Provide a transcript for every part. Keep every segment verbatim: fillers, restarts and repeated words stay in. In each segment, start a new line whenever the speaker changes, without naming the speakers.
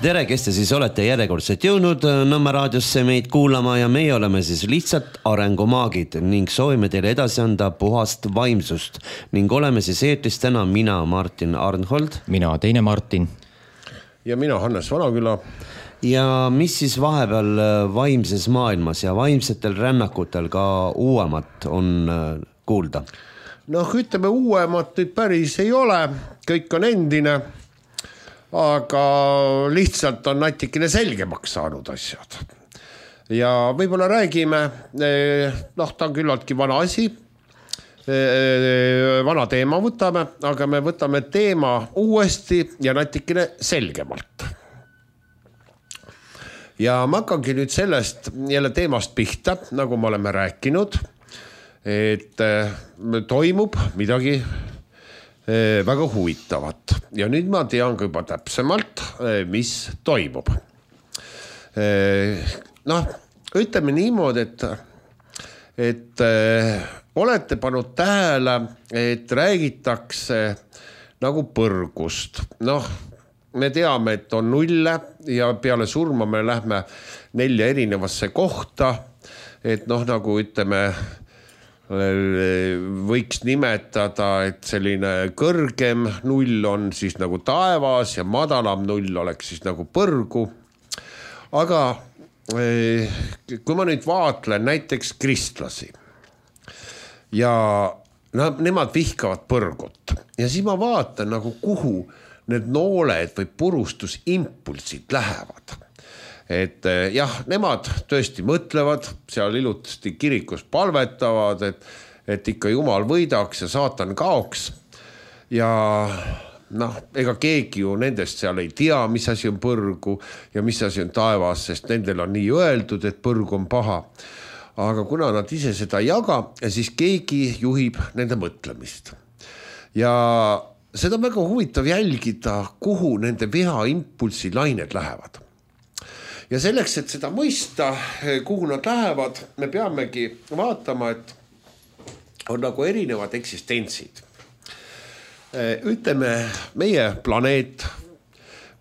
Tere, kes te siis olete järjekordselt jõudnud Nõmme raadiosse meid kuulama ja meie oleme siis lihtsalt arengumaagid ning soovime teile edasi anda puhast vaimsust ning oleme siis eetris täna mina, Martin Arnhold.
Mina, teine Martin.
Ja mina, Hannes Vanaküla.
Ja mis siis vahepeal vaimses maailmas ja vaimsetel rännakutel ka uuemat on kuulda?
Noh, ütleme uuemat nüüd päris ei ole, kõik on endine. Aga lihtsalt on natikene selgemaks saanud asjad. Ja võib-olla räägime, noh, ta on küllaltki vana asi, vana teema võtame, aga me võtame teema uuesti ja natikene selgemalt. Ja ma hakkangi nüüd sellest jälle teemast pihta, nagu me oleme rääkinud, et toimub midagi väga huvitavat. Ja nüüd ma tean ka juba täpsemalt, mis toimub. Noh, ütleme niimoodi, et, et olete pannud tähele, et räägitakse nagu põrgust. Noh, me teame, et on nulle ja peale surma me lähme nelja erinevasse kohta, et noh, nagu ütleme, võiks nimetada, et selline kõrgem null on siis nagu taevas ja madalam null oleks siis nagu põrgu. Aga kui ma nüüd vaatlen näiteks kristlasi ja no, nemad vihkavad põrgut ja siis ma vaatan nagu kuhu need nooled või purustusimpulsid lähevad. Et jah, nemad tõesti mõtlevad, seal ilusti kirikus palvetavad, et, et ikka Jumal võidaks ja saatan kaoks. Ja noh, ega keegi ju nendest seal ei tea, mis asi on põrgu ja mis asi on taevas, sest nendel on nii öeldud, et põrgu on paha. Aga kuna nad ise seda ei jaga, siis keegi juhib nende mõtlemist. Ja seda on väga huvitav jälgida, kuhu nende viha impulsi lained lähevad. Ja selleks, et seda mõista, kuhu nad lähevad, me peamegi vaatama, et on nagu erinevad eksistentsid. Ütleme, meie planeet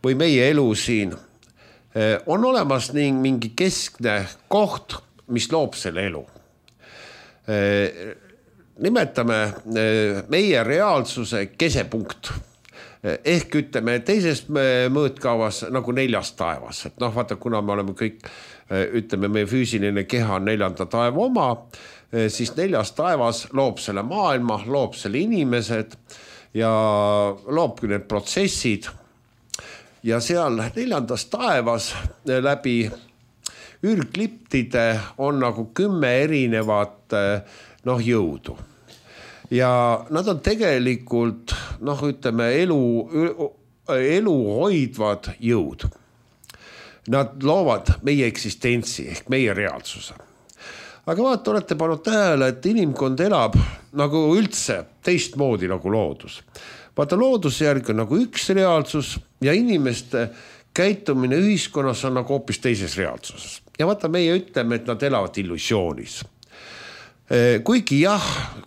või meie elu siin on olemas ning mingi keskne koht, mis loob selle elu. Nimetame meie reaalsuse kesepunkt. Ehk ütleme teises mõõtkavas nagu neljas taevas. Et noh, vaata, kuna me oleme kõik, ütleme, meie füüsiline keha on neljanda taeva oma, siis neljas taevas loob selle maailma, loob selle inimesed ja loobki need protsessid. Ja seal neljandas taevas läbi ürgliptide on nagu kümme erinevat noh, jõudu. Ja nad on tegelikult, noh, ütleme, elu, elu hoidvad jõud. Nad loovad meie eksistentsi ehk meie reaalsuse. Aga vaata, olete pannud tähele, et inimkond elab nagu üldse teistmoodi nagu loodus. Vaata, looduse järgi on nagu üks reaalsus ja inimeste käitumine ühiskonnas on nagu hoopis teises reaalsuses. Ja vaata, meie ütleme, et nad elavad illusioonis. Kuigi jah,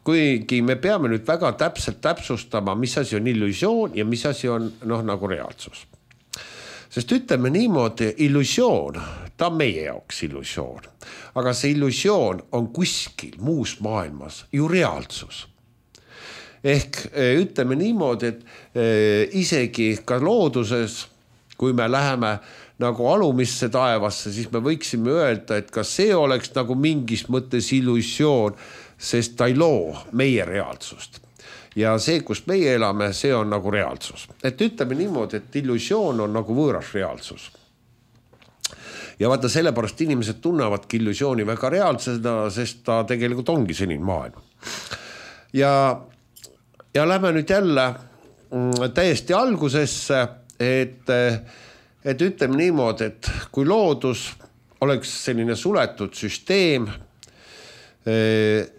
kuigi me peame nüüd väga täpselt täpsustama, mis asi on illusioon ja mis asi on noh, nagu reaalsus. Sest ütleme niimoodi, illusioon, ta on meie jaoks illusioon. Aga see illusioon on kuskil muus maailmas ju reaalsus. Ehk ütleme niimoodi, et isegi ka looduses, kui me läheme nagu alumisse taevasse, siis me võiksime öelda, et kas see oleks nagu mingis mõttes illusioon, sest ta ei loo meie reaalsust. Ja see, kus meie elame, see on nagu reaalsus. Et ütleme niimoodi, et illusioon on nagu võõras reaalsus. Ja vaata, sellepärast inimesed tunnevadki illusiooni väga reaalsena, sest ta tegelikult ongi selline maailm. Ja, ja lähme nüüd jälle täiesti algusesse, et Et ütleme niimoodi, et kui loodus oleks selline suletud süsteem,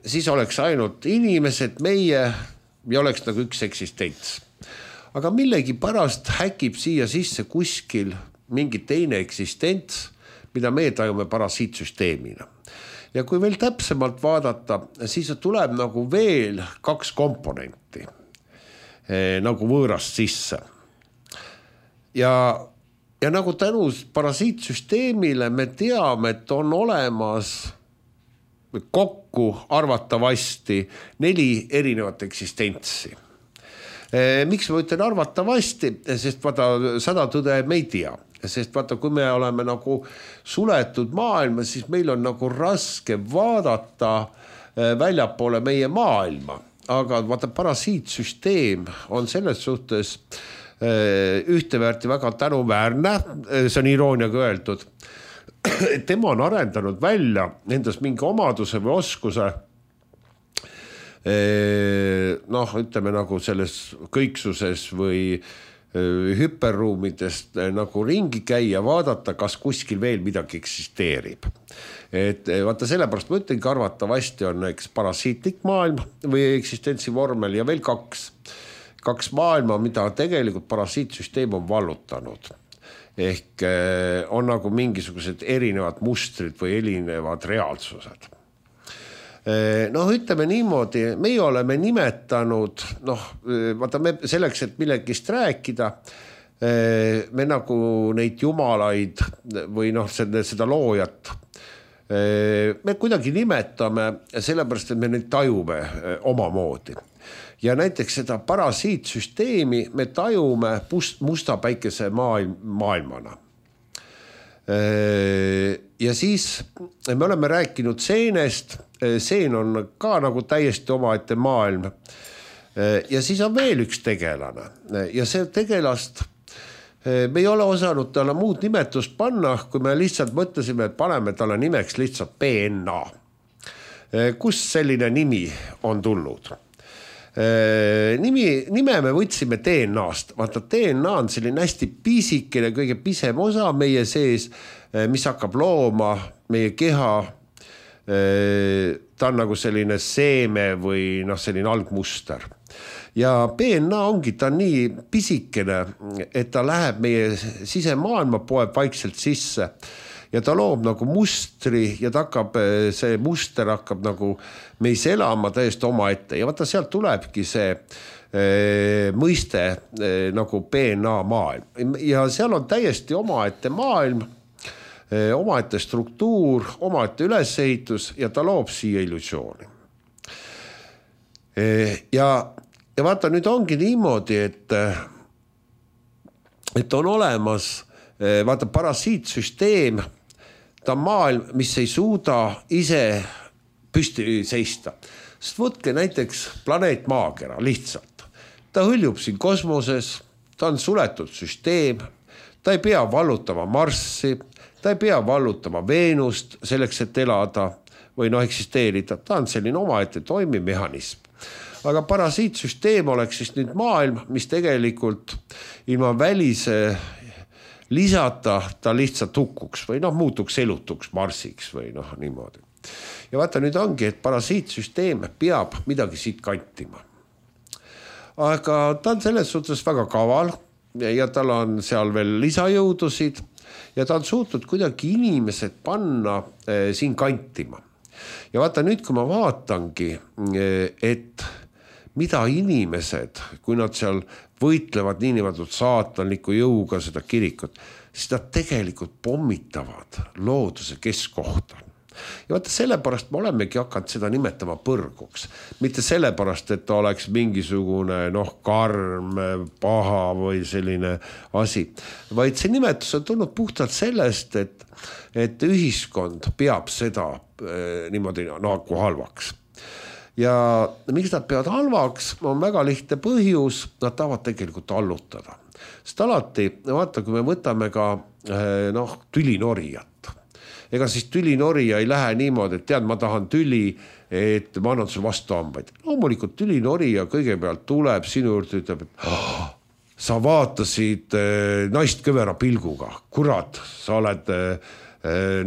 siis oleks ainult inimesed, meie ja oleks nagu üks eksistents. Aga millegi pärast häkib siia sisse kuskil mingi teine eksistents, mida me tajume parasiitsüsteemina. Ja kui veel täpsemalt vaadata, siis tuleb nagu veel kaks komponenti nagu võõrast sisse. Ja ja nagu tänu parasiitsüsteemile me teame, et on olemas kokku arvatavasti neli erinevat eksistentsi. Miks ma ütlen arvatavasti, sest vaata sada tõde me ei tea, sest vaata kui me oleme nagu suletud maailma, siis meil on nagu raske vaadata väljapoole meie maailma, aga vaata parasiitsüsteem on selles suhtes ühteväärti väga tänuväärne, see on irooniaga öeldud, tema on arendanud välja endas mingi omaduse või oskuse noh, ütleme nagu selles kõiksuses või hüperruumidest nagu ringi käia, vaadata, kas kuskil veel midagi eksisteerib. Et vaata sellepärast ma ütlengi, arvatavasti on eks parasiitlik maailm või eksistentsi vormel ja veel kaks, kaks maailma, mida tegelikult parasiitsüsteem on vallutanud. Ehk on nagu mingisugused erinevad mustrid või erinevad reaalsused. Noh, ütleme niimoodi, meie oleme nimetanud, noh, vaata me selleks, et millegist rääkida, me nagu neid jumalaid või noh, seda, seda loojat, me kuidagi nimetame sellepärast, et me neid tajume omamoodi. Ja näiteks seda parasiitsüsteemi me tajume musta päikese maailm, maailmana. Ja siis me oleme rääkinud seenest, seen on ka nagu täiesti omaette maailm. Ja siis on veel üks tegelane ja see tegelast me ei ole osanud talle muud nimetust panna, kui me lihtsalt mõtlesime, et paneme talle nimeks lihtsalt B N A. Kust selline nimi on tulnud? Nimi, nime me võtsime D N A-st. Vaata, D N A on selline hästi pisikene, kõige pisem osa meie sees, mis hakkab looma meie keha. Ta on nagu selline seeme või noh, selline algmuster. Ja B N A ongi ta nii pisikene, et ta läheb meie sisemaailma, poeb vaikselt sisse ja ta loob nagu mustri ja ta hakkab, see muster hakkab nagu meis elama täiesti oma ette. Ja vaata, sealt tulebki see e, mõiste e, nagu B N A maailm. Ja seal on täiesti oma ette maailm, e, oma ette struktuur, oma ette ülesehitus ja ta loob siia illusiooni. E, ja, ja vaata, nüüd ongi niimoodi, et, et on olemas e, vaata parasiitsüsteem, ta on maailm, mis ei suuda ise püsti seista. Sest võtke näiteks planeet Maakera lihtsalt. Ta hõljub siin kosmoses, ta on suletud süsteem, ta ei pea vallutama Marssi, ta ei pea vallutama Veenust selleks, et elada või no eksisteerida. Ta on selline omaette toimiv mehhanism. Aga parasiitsüsteem oleks siis nüüd maailm, mis tegelikult ilma välise lisata ta lihtsalt hukkuks või noh, muutuks elutuks Marsiks või noh, niimoodi. Ja vaata, nüüd ongi, et parasiitsüsteem peab midagi siit kantima. Aga ta on selles suhtes väga kaval ja tal on seal veel lisajõudusid ja ta on suutnud kuidagi inimesed panna eh, siin kantima. Ja vaata nüüd, kui ma vaatangi, et mida inimesed, kui nad seal võitlevad niinimetud saatanliku jõuga seda kirikut, siis nad tegelikult pommitavad looduse keskkohta. Ja vaata, sellepärast me olemegi hakanud seda nimetama põrguks. Mitte sellepärast, et ta oleks mingisugune noh, karm, paha või selline asi, vaid see nimetus on tulnud puhtalt sellest, et, et ühiskond peab seda eh, niimoodi nagu halvaks. Ja miks nad peavad halvaks, on väga lihtne põhjus, nad tahavad tegelikult allutada. Sest alati, vaata, kui me võtame ka noh, tülinorijat. Ega siis tülinorija ei lähe niimoodi, et tead, ma tahan tüli, et ma annan sul vastu hambaid. Loomulikult tülinorija kõigepealt tuleb sinu juurde, ütleb, et oh, sa vaatasid naist kõvera pilguga. Kurat, sa oled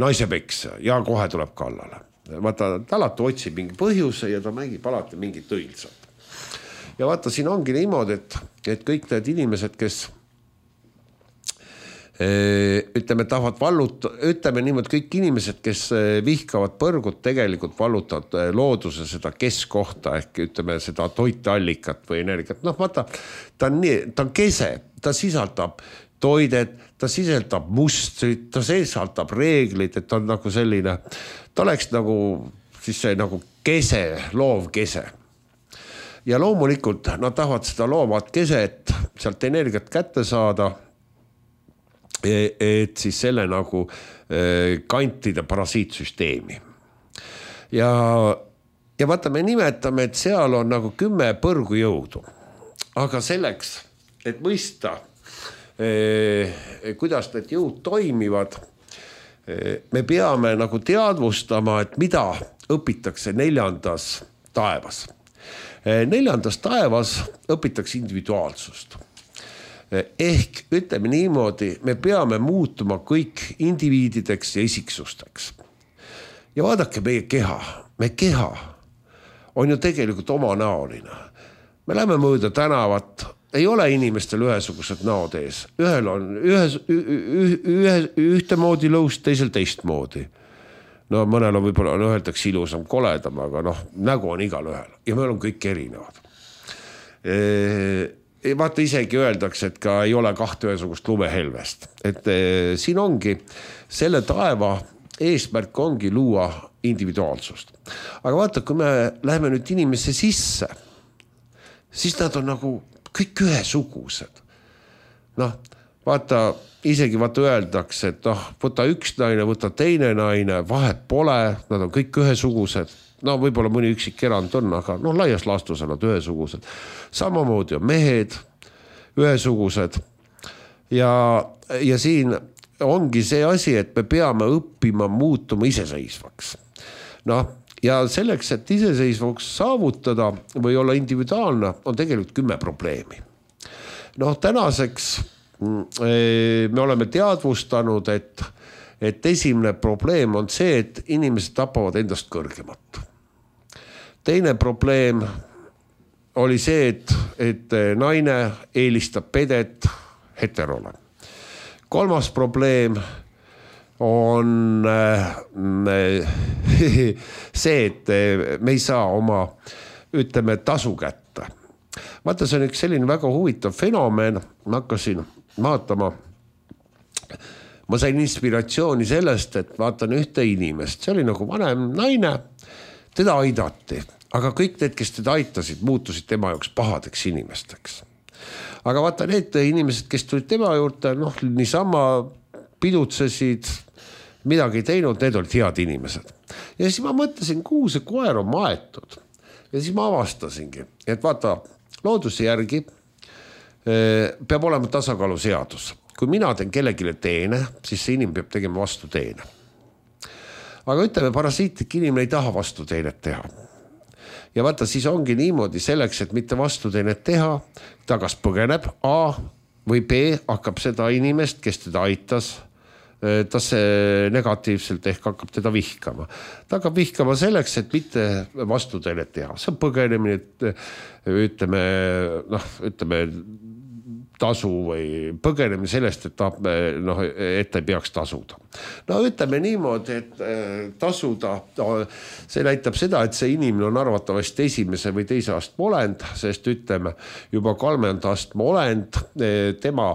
naisepeks ja kohe tuleb kallale. Vaata, ta alati otsib mingi põhjuse ja ta mängib alati mingit õilsat. Ja vaata, siin ongi niimoodi, et, et kõik need inimesed, kes ütleme, tahavad valluta, ütleme niimoodi, kõik inimesed, kes vihkavad põrgut, tegelikult vallutavad looduse seda keskkohta, ehk ütleme seda toiteallikat või energiat. Noh, vaata, ta on, nii, ta on kese, ta sisaldab toidet, ta sisaldab mustrit, ta sisaldab reeglid, et ta on nagu selline, ta oleks nagu siis see nagu kese, loov kese. Ja loomulikult nad tahavad seda loovat keset sealt energiat kätte saada, et siis selle nagu kantida parasiitsüsteemi. Ja, ja vaata, me nimetame, et seal on nagu kümme põrgujõudu. Aga selleks, et mõista, eh, kuidas need jõud toimivad, eh, me peame nagu teadvustama, et mida õpitakse neljandas taevas. Eh, neljandas taevas õpitakse individuaalsust. Ehk ütleme niimoodi, me peame muutuma kõik indiviidideks ja isiksusteks. Ja vaadake meie keha, meie keha on ju tegelikult omanäoline. Me läheme mööda tänavat, ei ole inimestel ühesugused näod ees. Ühel on ühes, ühe, ühte moodi lõust, teisel teist moodi. No mõnel on võib-olla on öeldakse ilusam, koledam, aga noh, nägu on igal ühel ja meil on kõik erinevad. E Vaata isegi öeldakse, et ka ei ole kahte ühesugust lumehelvest. Et eh, siin ongi, selle taeva eesmärk ongi luua individuaalsust. Aga vaata, kui me läheme nüüd inimesse sisse, siis nad on nagu kõik ühesugused. Noh, vaata, isegi vaata öeldakse, et noh, võta üks naine, võta teine naine, vahet pole, nad on kõik ühesugused. No võib-olla mõni üksik erand on, aga no laias laastus on nad ühesugused. Samamoodi on mehed ühesugused. Ja, ja siin ongi see asi, et me peame õppima muutuma iseseisvaks. Noh, ja selleks, et iseseisvaks saavutada või olla individuaalne, on tegelikult kümme probleemi. Noh, tänaseks me oleme teadvustanud, et, et esimene probleem on see, et inimesed tapavad endast kõrgemat. Teine probleem oli see, et, et naine eelistab pedet heterole. Kolmas probleem on see, et me ei saa oma, ütleme, tasu kätte. Vaata, see on üks selline väga huvitav fenomen. Ma hakkasin vaatama, ma sain inspiratsiooni sellest, et vaatan ühte inimest. See oli nagu vanem naine, teda aidati. Aga kõik need, kes teda aitasid, muutusid tema jaoks pahadeks inimesteks. Aga vaata, need inimesed, kes tulid tema juurde, noh, niisama pidutsesid, midagi teinud, need olid head inimesed. Ja siis ma mõtlesin, kuhu see koer on maetud. Ja siis ma avastasingi, et vaata, looduse järgi peab olema tasakaalu seadus. Kui mina teen kellegile teene, siis see inimene peab tegema vastu teene. Aga ütleme, parasiitlik inimene ei taha vastu teenet teha. Ja vaata, siis ongi niimoodi selleks, et mitte vastu teenet teha, ta kas põgeneb A või B hakkab seda inimest, kes teda aitas, ta see negatiivselt ehk hakkab teda vihkama. Ta hakkab vihkama selleks, et mitte vastu teenet teha. See on põgenemine, ütleme, noh, ütleme, tasu või põgeneme sellest, et, ta, no, et ta ei peaks tasuda. No ütleme niimoodi, et tasuda, see näitab seda, et see inimene on arvatavasti esimese või teise astme olend, sest ütleme juba kolmanda astme olend, tema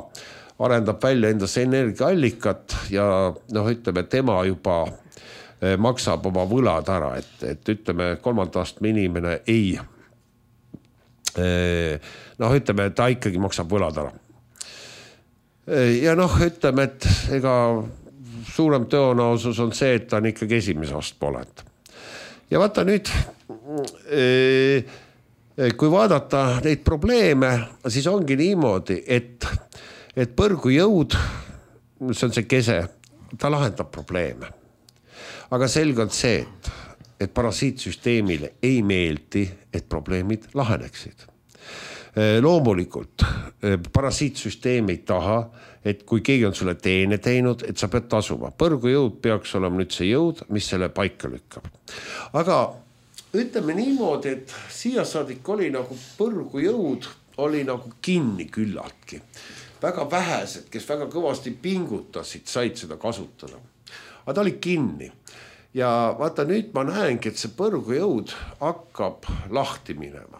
arendab välja endas energiaallikat ja noh, ütleme, tema juba maksab oma võlad ära, et, et ütleme, kolmanda astme inimene ei noh, ütleme, ta ikkagi maksab võlad ära. Ja noh, ütleme, et ega suurem tõenäosus on see, et ta on ikkagi esimese astme olend. Ja vaata nüüd, kui vaadata neid probleeme, siis ongi niimoodi, et, et põrgujõud, see on see kese, ta lahendab probleeme. Aga selge on see, et et parasiitsüsteemile ei meeldi, et probleemid laheneksid. Loomulikult, parasiitsüsteem ei taha, et kui keegi on sulle teene teinud, et sa pead tasuma. Põrgujõud peaks olema nüüd see jõud, mis selle paika lükkab. Aga ütleme niimoodi, et siia saadik oli nagu põrgujõud, oli nagu kinni küllaltki. Väga vähesed, kes väga kõvasti pingutasid, said seda kasutada. Aga ta oli kinni. Ja vaata nüüd ma näengi, et see põrgujõud hakkab lahti minema.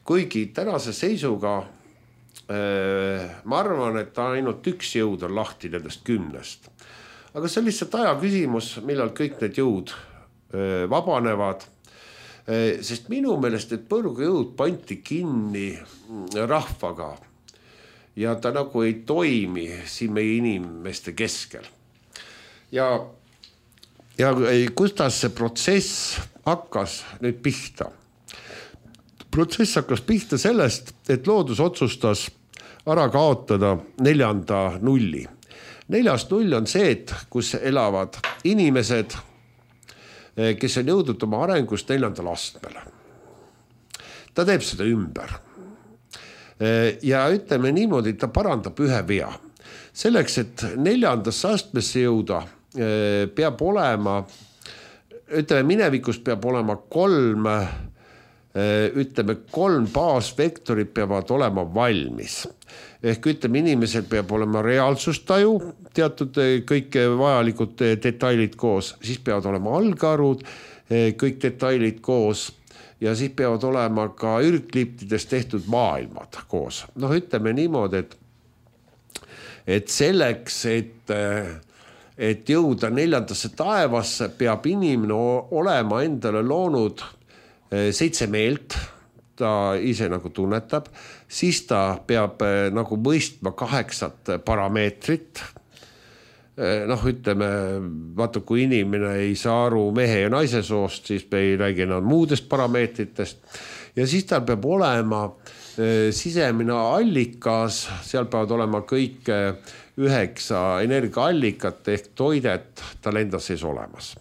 Kuigi tänase seisuga ma arvan, et ainult üks jõud on lahti nendest kümnest. Aga see on lihtsalt aja küsimus, millal kõik need jõud vabanevad. Sest minu meelest, et põrgujõud pandi kinni rahvaga ja ta nagu ei toimi siin meie inimeste keskel. Ja, ja kuidas see protsess hakkas nüüd pihta? Protsess hakkas pihta sellest, et loodus otsustas ära kaotada neljanda nulli. Neljas null on see, et kus elavad inimesed, kes on jõudnud oma arengust neljandale astmele. Ta teeb seda ümber. Ja ütleme niimoodi, et ta parandab ühe vea. Selleks, et neljandasse astmesse jõuda, peab olema, ütleme minevikus peab olema kolm ütleme, kolm baasvektorit peavad olema valmis. Ehk ütleme, inimesel peab olema reaalsustaju, teatud kõik vajalikud detailid koos, siis peavad olema algarud, kõik detailid koos ja siis peavad olema ka ürgkliptidest tehtud maailmad koos. Noh, ütleme niimoodi, et, et selleks, et, et jõuda neljandasse taevasse, peab inimene olema endale loonud seitse meelt, ta ise nagu tunnetab, siis ta peab nagu mõistma kaheksat parameetrit. Noh, ütleme, vaata, kui inimene ei saa aru mehe ja naise soost, siis me ei räägi enam muudest parameetritest. Ja siis tal peab olema sisemine allikas, seal peavad olema kõik üheksa energiaallikat ehk toidet tal enda sees olemas.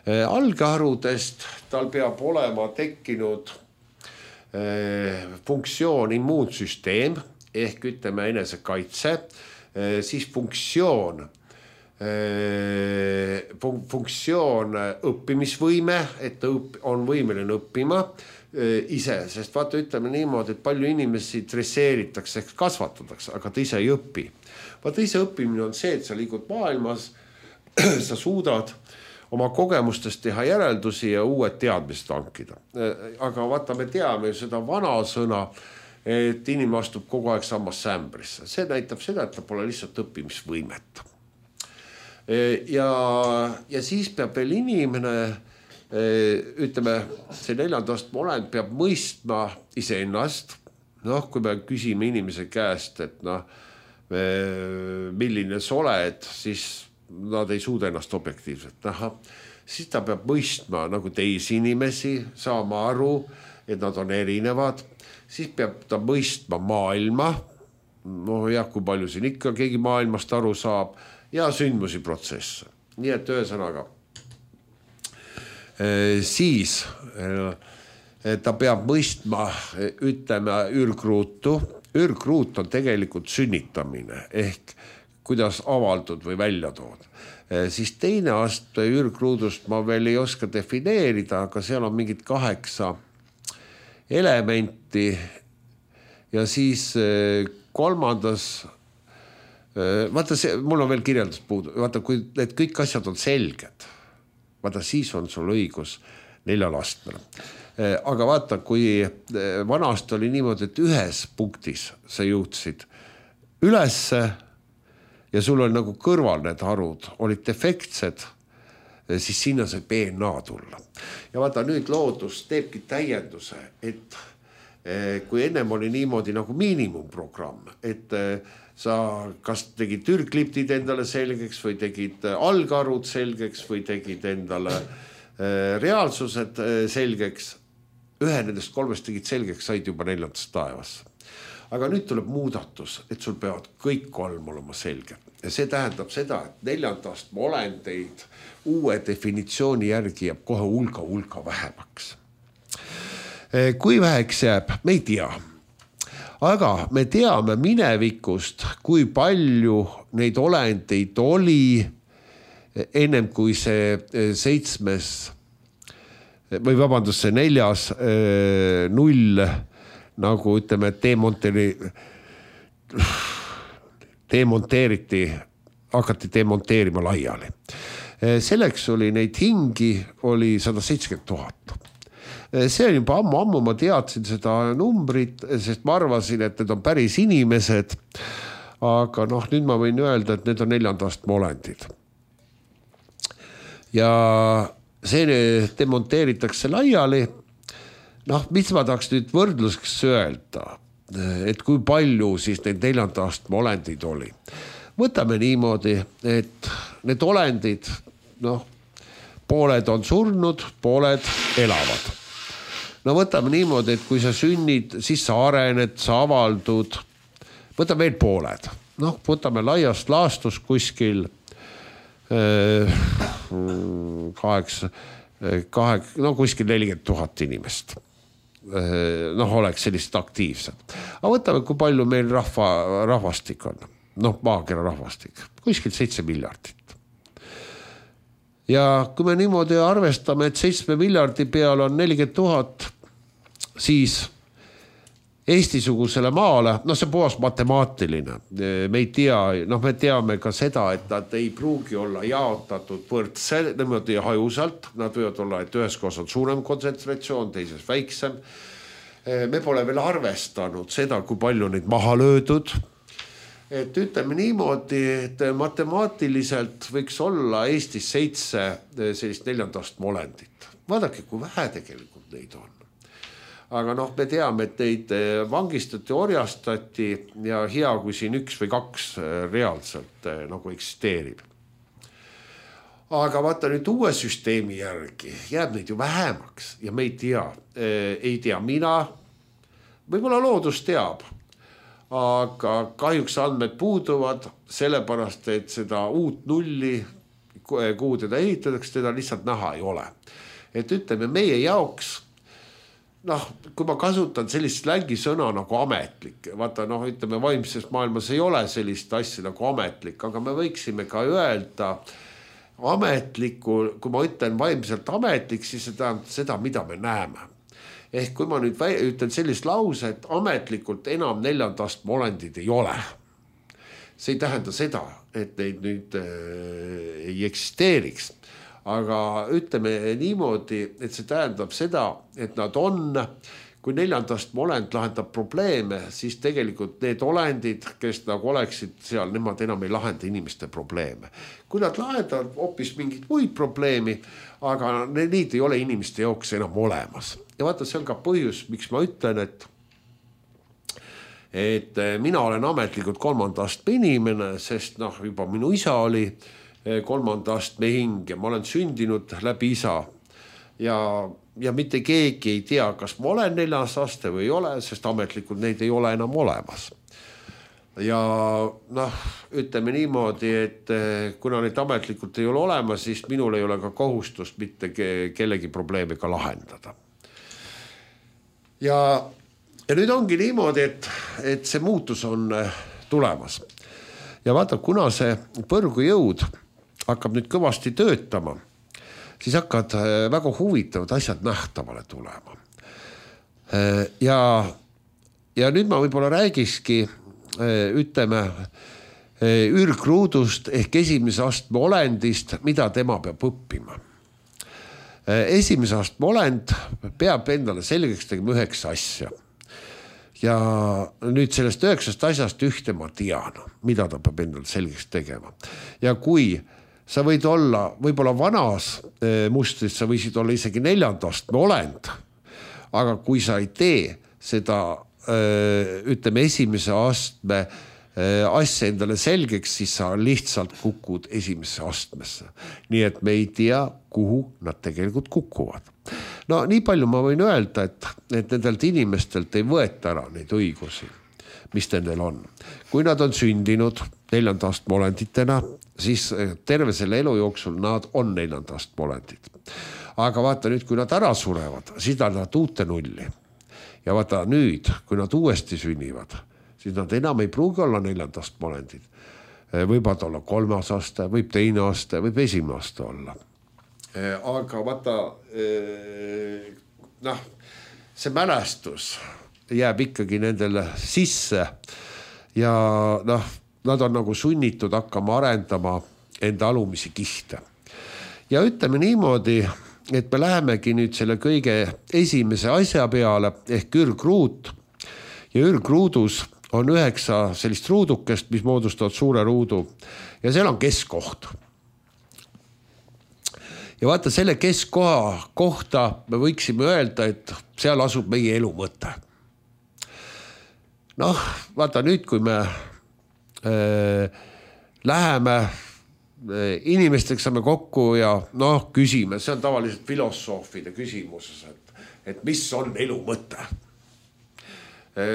Algharudest tal peab olema tekkinud funktsioon immuunsüsteem ehk ütleme enesekaitse, siis funktsioon, funktsioon õppimisvõime, et ta on võimeline õppima ise, sest vaata ütleme niimoodi, et palju inimesi dresseeritakse ehk kasvatatakse, aga ta ise ei õpi. Vaata ise õppimine on see, et sa liigud maailmas, sa suudad oma kogemustest teha järeldusi ja uued teadmised hankida. Aga vaata, me teame seda vana sõna, et inimene astub kogu aeg sammas sämbrisse. See näitab seda, et ta pole lihtsalt õppimisvõimet. Ja, ja siis peab veel inimene, ütleme, see neljandast olend peab mõistma iseennast. Noh, kui me küsime inimese käest, et noh, milline sa oled, siis nad ei suuda ennast objektiivselt näha, siis ta peab mõistma nagu teisi inimesi, saama aru, et nad on erinevad, siis peab ta mõistma maailma, no jah, kui palju siin ikka keegi maailmast aru saab, ja sündmusi protsesse. Nii et ühesõnaga, siis ta peab mõistma, ütleme, ürgruutu. Ürgruut on tegelikult sünnitamine ehk kuidas avaldud või välja tood. Siis teine aste ürgruudust ma veel ei oska defineerida, aga seal on mingid kaheksa elementi ja siis kolmandas, vaata see, mul on veel kirjeldus puudu, vaata kui need kõik asjad on selged, vaata siis on sul õigus neljal astmel. Aga vaata, kui vanast oli niimoodi, et ühes punktis sa jõudsid ülesse ja sul on nagu kõrval need harud, olid defektsed, siis sinna sai B N A tulla. Ja vaata, nüüd loodus teebki täienduse, et kui ennem oli niimoodi nagu miinimumprogramm, et sa kas tegid ürgkliptid endale selgeks või tegid algarud selgeks või tegid endale reaalsused selgeks, ühe nendest kolmest tegid selgeks, said juba neljandast taevasse. Aga nüüd tuleb muudatus, et sul peavad kõik kolm olema selge. Ja see tähendab seda, et neljandast olendeid uue definitsiooni järgi jääb kohe hulga hulga vähemaks. Kui väheks jääb, me ei tea. Aga me teame minevikust, kui palju neid olendeid oli ennem kui see seitsmes või vabandust, see neljas null nagu ütleme, demonteri, demonteeriti, hakati demonteerima laiali. Selleks oli neid hingi, oli sada seitsekümmend tuhat. see on juba ammu, ammu ma teadsin seda numbrit, sest ma arvasin, et need on päris inimesed. Aga noh, nüüd ma võin öelda, et need on neljandast olendid. Ja see demonteeritakse laiali. Noh, mis ma tahaks nüüd võrdluseks öelda, et kui palju siis neid neljandast olendid oli. Võtame niimoodi, et need olendid, noh, pooled on surnud, pooled elavad. No võtame niimoodi, et kui sa sünnid, siis sa arened, sa avaldud. Võtame veel pooled. Noh, võtame laiast laastus kuskil kaheksa, kahek, no kuskil nelikümmend tuhat inimest. Noh, oleks sellist aktiivsed. Aga võtame, kui palju meil rahva, rahvastik on. Noh, maakera rahvastik. Kuskil seitse miljardit. Ja kui me niimoodi arvestame, et seitsme miljardi peal on nelikümmend tuhat, siis Eesti-sugusele maale, no see puhas matemaatiline. Me ei tea, noh me teame ka seda, et nad ei pruugi olla jaotatud võrdse, niimoodi hajusalt. Nad võivad olla, et ühes kohas on suurem kontsentratsioon, teises väiksem. Me pole veel arvestanud seda, kui palju neid maha löödud. Et ütleme niimoodi, et matemaatiliselt võiks olla Eestis seitse sellist neljandast olendit. Vaadake, kui vähe tegelikult neid on. Aga noh, me teame, et neid vangistati, orjastati ja hea, kui siin üks või kaks reaalselt nagu eksisteerib. Aga vaata nüüd uue süsteemi järgi jääb neid ju vähemaks ja me ei tea, ei tea mina, võib-olla loodus teab. Aga kahjuks andmed puuduvad sellepärast, et seda uut nulli, kuhu teda ehitatakse, teda lihtsalt näha ei ole. Et ütleme meie jaoks, noh, kui ma kasutan sellist slängi sõna nagu ametlik, vaata noh, ütleme vaimses maailmas ei ole sellist asja nagu ametlik, aga me võiksime ka öelda ametliku, kui ma ütlen vaimselt ametlik, siis see tähendab seda, mida me näeme. Ehk kui ma nüüd ütlen sellist lause, et ametlikult enam neljandast olendid ei ole. See ei tähenda seda, et neid nüüd äh, ei eksisteeriks. Aga ütleme niimoodi, et see tähendab seda, et nad on, kui neljandast olend lahendab probleeme, siis tegelikult need olendid, kes nagu oleksid seal, nemad enam ei lahenda inimeste probleeme. Kui nad lahendavad hoopis mingit muid probleemi, aga need ei ole inimeste jaoks enam olemas. Ja vaata, see on ka põhjus, miks ma ütlen, et, et mina olen ametlikult kolmanda astme inimene, sest noh, juba minu isa oli kolmanda astme hing ja ma olen sündinud läbi isa. Ja, ja mitte keegi ei tea, kas ma olen neljas aste või ei ole, sest ametlikult neid ei ole enam olemas. Ja noh, ütleme niimoodi, et kuna neid ametlikult ei ole olemas, siis minul ei ole ka kohustust mitte kellegi probleemi ka lahendada. Ja, ja nüüd ongi niimoodi, et, et see muutus on tulemas. Ja vaata, kuna see põrgujõud hakkab nüüd kõvasti töötama, siis hakkad väga huvitavad asjad nähtavale tulema. Ja, ja nüüd ma võib-olla räägikski, ütleme, ürgruudust ehk esimese astme olendist, mida tema peab õppima. Esimese astme olend peab endale selgeks tegema üheksa asja. Ja nüüd sellest üheksast asjast ühte ma tean, mida ta peab endale selgeks tegema. Ja kui sa võid olla, võib-olla vanas mustris, sa võisid olla isegi neljandast olend, aga kui sa ei tee seda, ütleme, esimese astme asja endale selgeks, siis sa lihtsalt kukud esimesse astmesse. Nii et me ei tea, kuhu nad tegelikult kukuvad. No nii palju ma võin öelda, et, et nendelt inimestelt ei võeta ära neid õigusi, mis nendel on. Kui nad on sündinud neljandast olenditena, siis terve selle elu jooksul nad on neljandast olendid. Aga vaata nüüd, kui nad ära surevad, siis nad nad uute nulli. Ja vaata nüüd, kui nad uuesti sünnivad, siis nad enam ei pruugi olla neljandast olendid. Võivad olla kolmas aste, võib teine aste, võib esimene aste olla. Aga vaata, noh, see mälestus jääb ikkagi nendele sisse ja noh, nad on nagu sunnitud hakkama arendama enda alumisi kihte. Ja ütleme niimoodi, et me lähemegi nüüd selle kõige esimese asja peale ehk ürgruut ja ürgruudus on üheksa sellist ruudukest, mis moodustavad suure ruudu ja seal on keskkoht. Ja vaata selle keskkoha kohta me võiksime öelda, et seal asub meie elu mõte. Noh, vaata nüüd, kui me äh, läheme inimesteks saame kokku ja noh, küsime, see on tavaliselt filosoofide küsimuses, et, et mis on elu mõte.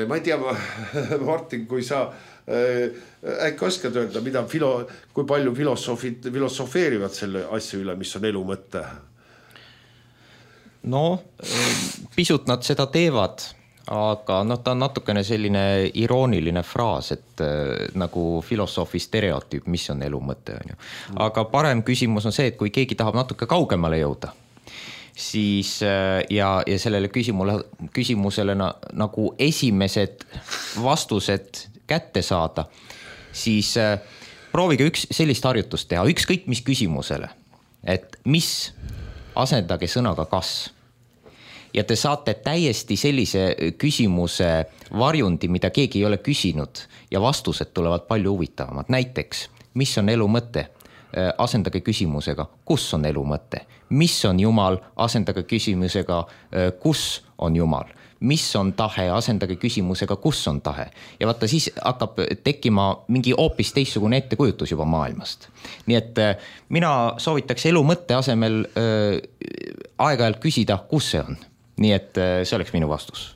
Ma ei tea, Martin, kui sa äkki oskad öelda, mida filo, kui palju filosoofid filosofeerivad selle asja üle, mis on elu mõte?
No, pisut nad seda teevad. Aga no, ta on natukene selline irooniline fraas, et äh, nagu filosoofi stereotüüp, mis on elu mõte. On ju. Aga parem küsimus on see, et kui keegi tahab natuke kaugemale jõuda, siis äh, ja, ja sellele küsimusele, küsimusele na, nagu esimesed vastused kätte saada, siis äh, proovige üks sellist harjutust teha, ükskõik mis küsimusele, et mis asendage sõnaga kas. Ja te saate täiesti sellise küsimuse varjundi, mida keegi ei ole küsinud ja vastused tulevad palju huvitavamad. Näiteks, mis on elu mõte? Asendage küsimusega, kus on elu mõte? Mis on Jumal? Asendage küsimusega, kus on Jumal? Mis on tahe? Asendage küsimusega, kus on tahe? Ja vaata, siis hakkab tekkima mingi hoopis teistsugune ettekujutus juba maailmast. Nii et mina soovitaks elu mõtte asemel äh, aeg-ajalt küsida, kus see on. Nii et see oleks minu vastus.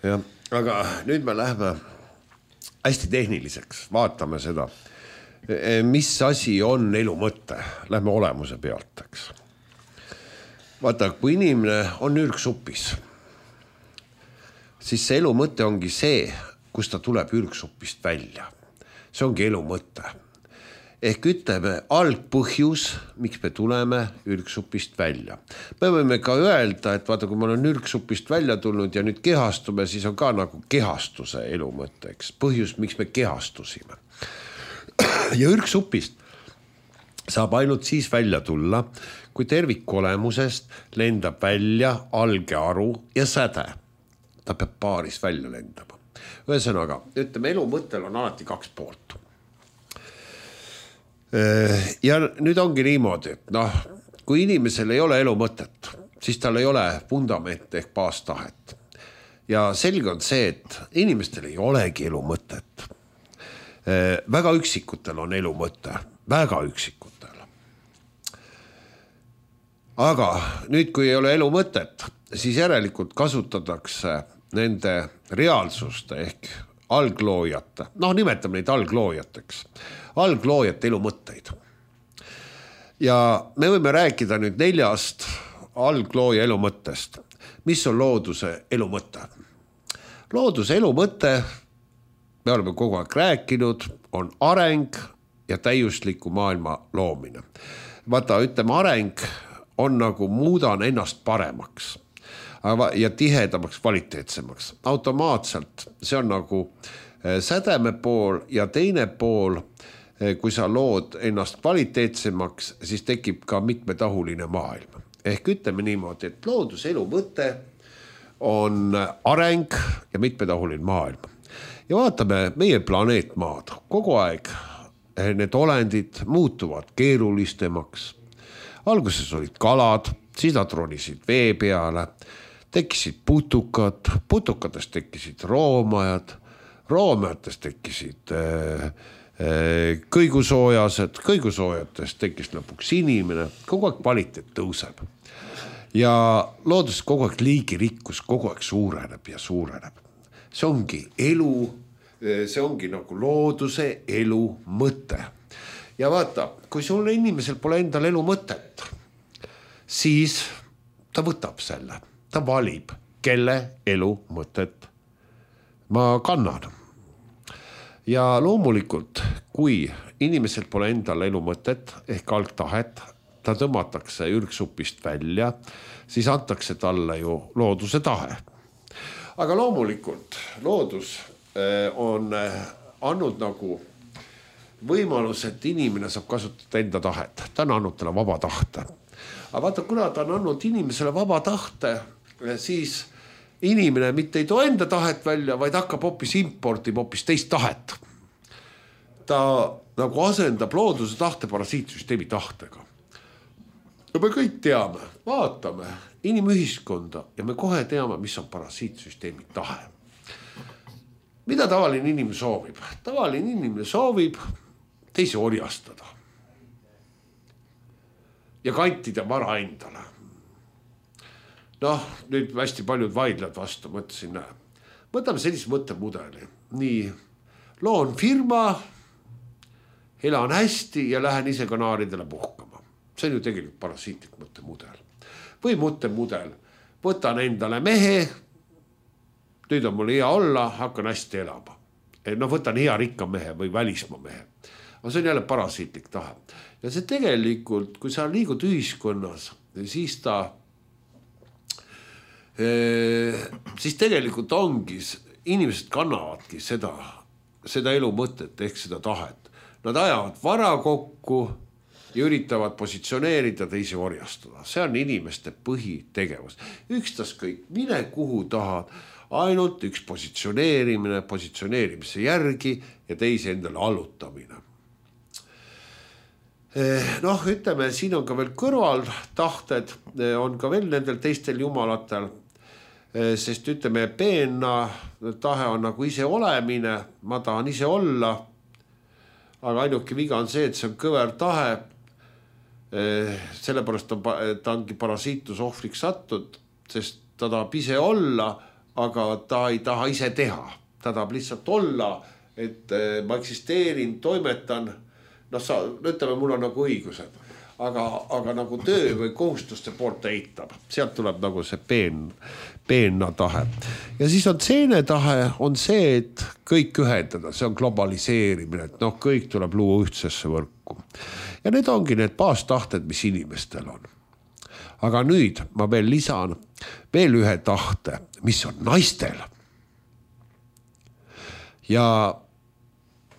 Ja, aga nüüd me lähme hästi tehniliseks, vaatame seda, mis asi on elu mõte, lähme olemuse pealt, eks. Vaata, kui inimene on ürgsupis, siis see elu mõte ongi see, kus ta tuleb ürgsupist välja. See ongi elu mõte. Ehk ütleme algpõhjus, miks me tuleme ürgsupist välja. Me võime ka öelda, et vaata, kui ma olen ürgsupist välja tulnud ja nüüd kehastume, siis on ka nagu kehastuse elu mõtteks. Põhjus, miks me kehastusime. Ja ürgsupist saab ainult siis välja tulla, kui tervikolemusest lendab välja alge aru ja säde. Ta peab paaris välja lendama. Ühesõnaga, ütleme, elu mõttel on alati kaks poolt. Ja nüüd ongi niimoodi, et noh, kui inimesel ei ole elu mõtet, siis tal ei ole fundament ehk baastahet. Ja selge on see, et inimestel ei olegi elu mõtet. Väga üksikutel on elu mõte, väga üksikutel. Aga nüüd, kui ei ole elu mõtet, siis järelikult kasutatakse nende reaalsuste ehk algloojate, noh nimetame neid algloojateks, algloojate elu mõtteid. Ja me võime rääkida nüüd neljast alglooja elu mõttest. Mis on looduse elu mõte? Looduse elu mõte, me oleme kogu aeg rääkinud, on areng ja täiusliku maailma loomine. Vaata, ütleme, areng on nagu muudan ennast paremaks ja tihedamaks, kvaliteetsemaks. Automaatselt see on nagu sädeme pool ja teine pool, kui sa lood ennast kvaliteetsemaks, siis tekib ka mitmetahuline maailm. Ehk ütleme niimoodi, et looduselu mõte on areng ja mitmetahuline maailm. Ja vaatame meie planeet Maad. Kogu aeg need olendid muutuvad keerulistemaks. Alguses olid kalad, siis nad ronisid vee peale, tekkisid putukad, putukatest tekkisid roomajad, roomajatest tekkisid äh, äh, kõigusoojased, kõigusoojatest tekkis lõpuks inimene, kogu aeg kvaliteet tõuseb. Ja loodus kogu aeg liigirikkus kogu aeg suureneb ja suureneb. See ongi elu, see ongi nagu looduse elu mõte. Ja vaata, kui sul inimesel pole endal elu mõtet, siis ta võtab selle. Ta valib, kelle elu mõtet ma kannan. Ja loomulikult, kui inimesel pole endal elu mõtet ehk algtahet, ta tõmmatakse ürgsupist välja, siis antakse talle ju looduse tahe. Aga loomulikult loodus on andnud nagu võimalus, et inimene saab kasutada enda tahet. Ta on andnud talle vaba tahte. aga vaata, kuna ta on andnud inimesele vaba tahte, siis inimene mitte ei too enda tahet välja, vaid hakkab hoopis importima hoopis teist tahet. Ta nagu asendab looduse tahte parasiitsüsteemi tahtega. Ja me kõik teame, vaatame inimühiskonda ja me kohe teame, mis on parasiitsüsteemi tahe. Mida tavaline inimene soovib? Tavaline inimene soovib teisi orjastada ja kantida vara endale. Noh, nüüd hästi paljud vaidlad vastu, mõtlesin, näe. Võtame sellise mõttemudeli. Nii, loon firma, elan hästi ja lähen ise kanaaridele puhkama. See on ju tegelikult parasiitlik mõttemudel. Või mõttemudel, võtan endale mehe, nüüd on mul hea olla, hakkan hästi elama. No võtan hea rikka mehe või välismaa mehe. Aga see on jälle parasiitlik tahe. Ja see tegelikult, kui sa liigud ühiskonnas, siis ta, siis tegelikult ongi, inimesed kannavadki seda, seda elu mõtet ehk seda tahet. Nad ajavad vara kokku ja üritavad positsioneerida teisi orjastada. See on inimeste põhitegevus. Ükstas kõik, mine kuhu tahad, ainult üks positsioneerimine, positsioneerimise järgi ja teisi endale allutamine. Noh, ütleme, siin on ka veel kõrval tahted, on ka veel nendel teistel jumalatel, sest ütleme, peenna tahe on nagu ise olemine, ma tahan ise olla, aga ainuke viga on see, et see on kõver tahe, sellepärast ta ongi parasiitus ohvriks sattud, sest ta tahab ise olla, aga ta ei taha ise teha, ta tahab lihtsalt olla, et ma eksisteerin, toimetan, noh, sa, ütleme, mul on nagu õigused, aga, aga nagu töö või kohustuste poolt eitab. Sealt tuleb nagu see peen, peenna tahe. Ja siis on seene tahe, on see, et kõik ühendada, see on globaliseerimine, et noh, kõik tuleb luua ühtsesse võrku. Ja need ongi need baastahted, mis inimestel on. Aga nüüd ma veel lisan veel ühe tahte, mis on naistel. Ja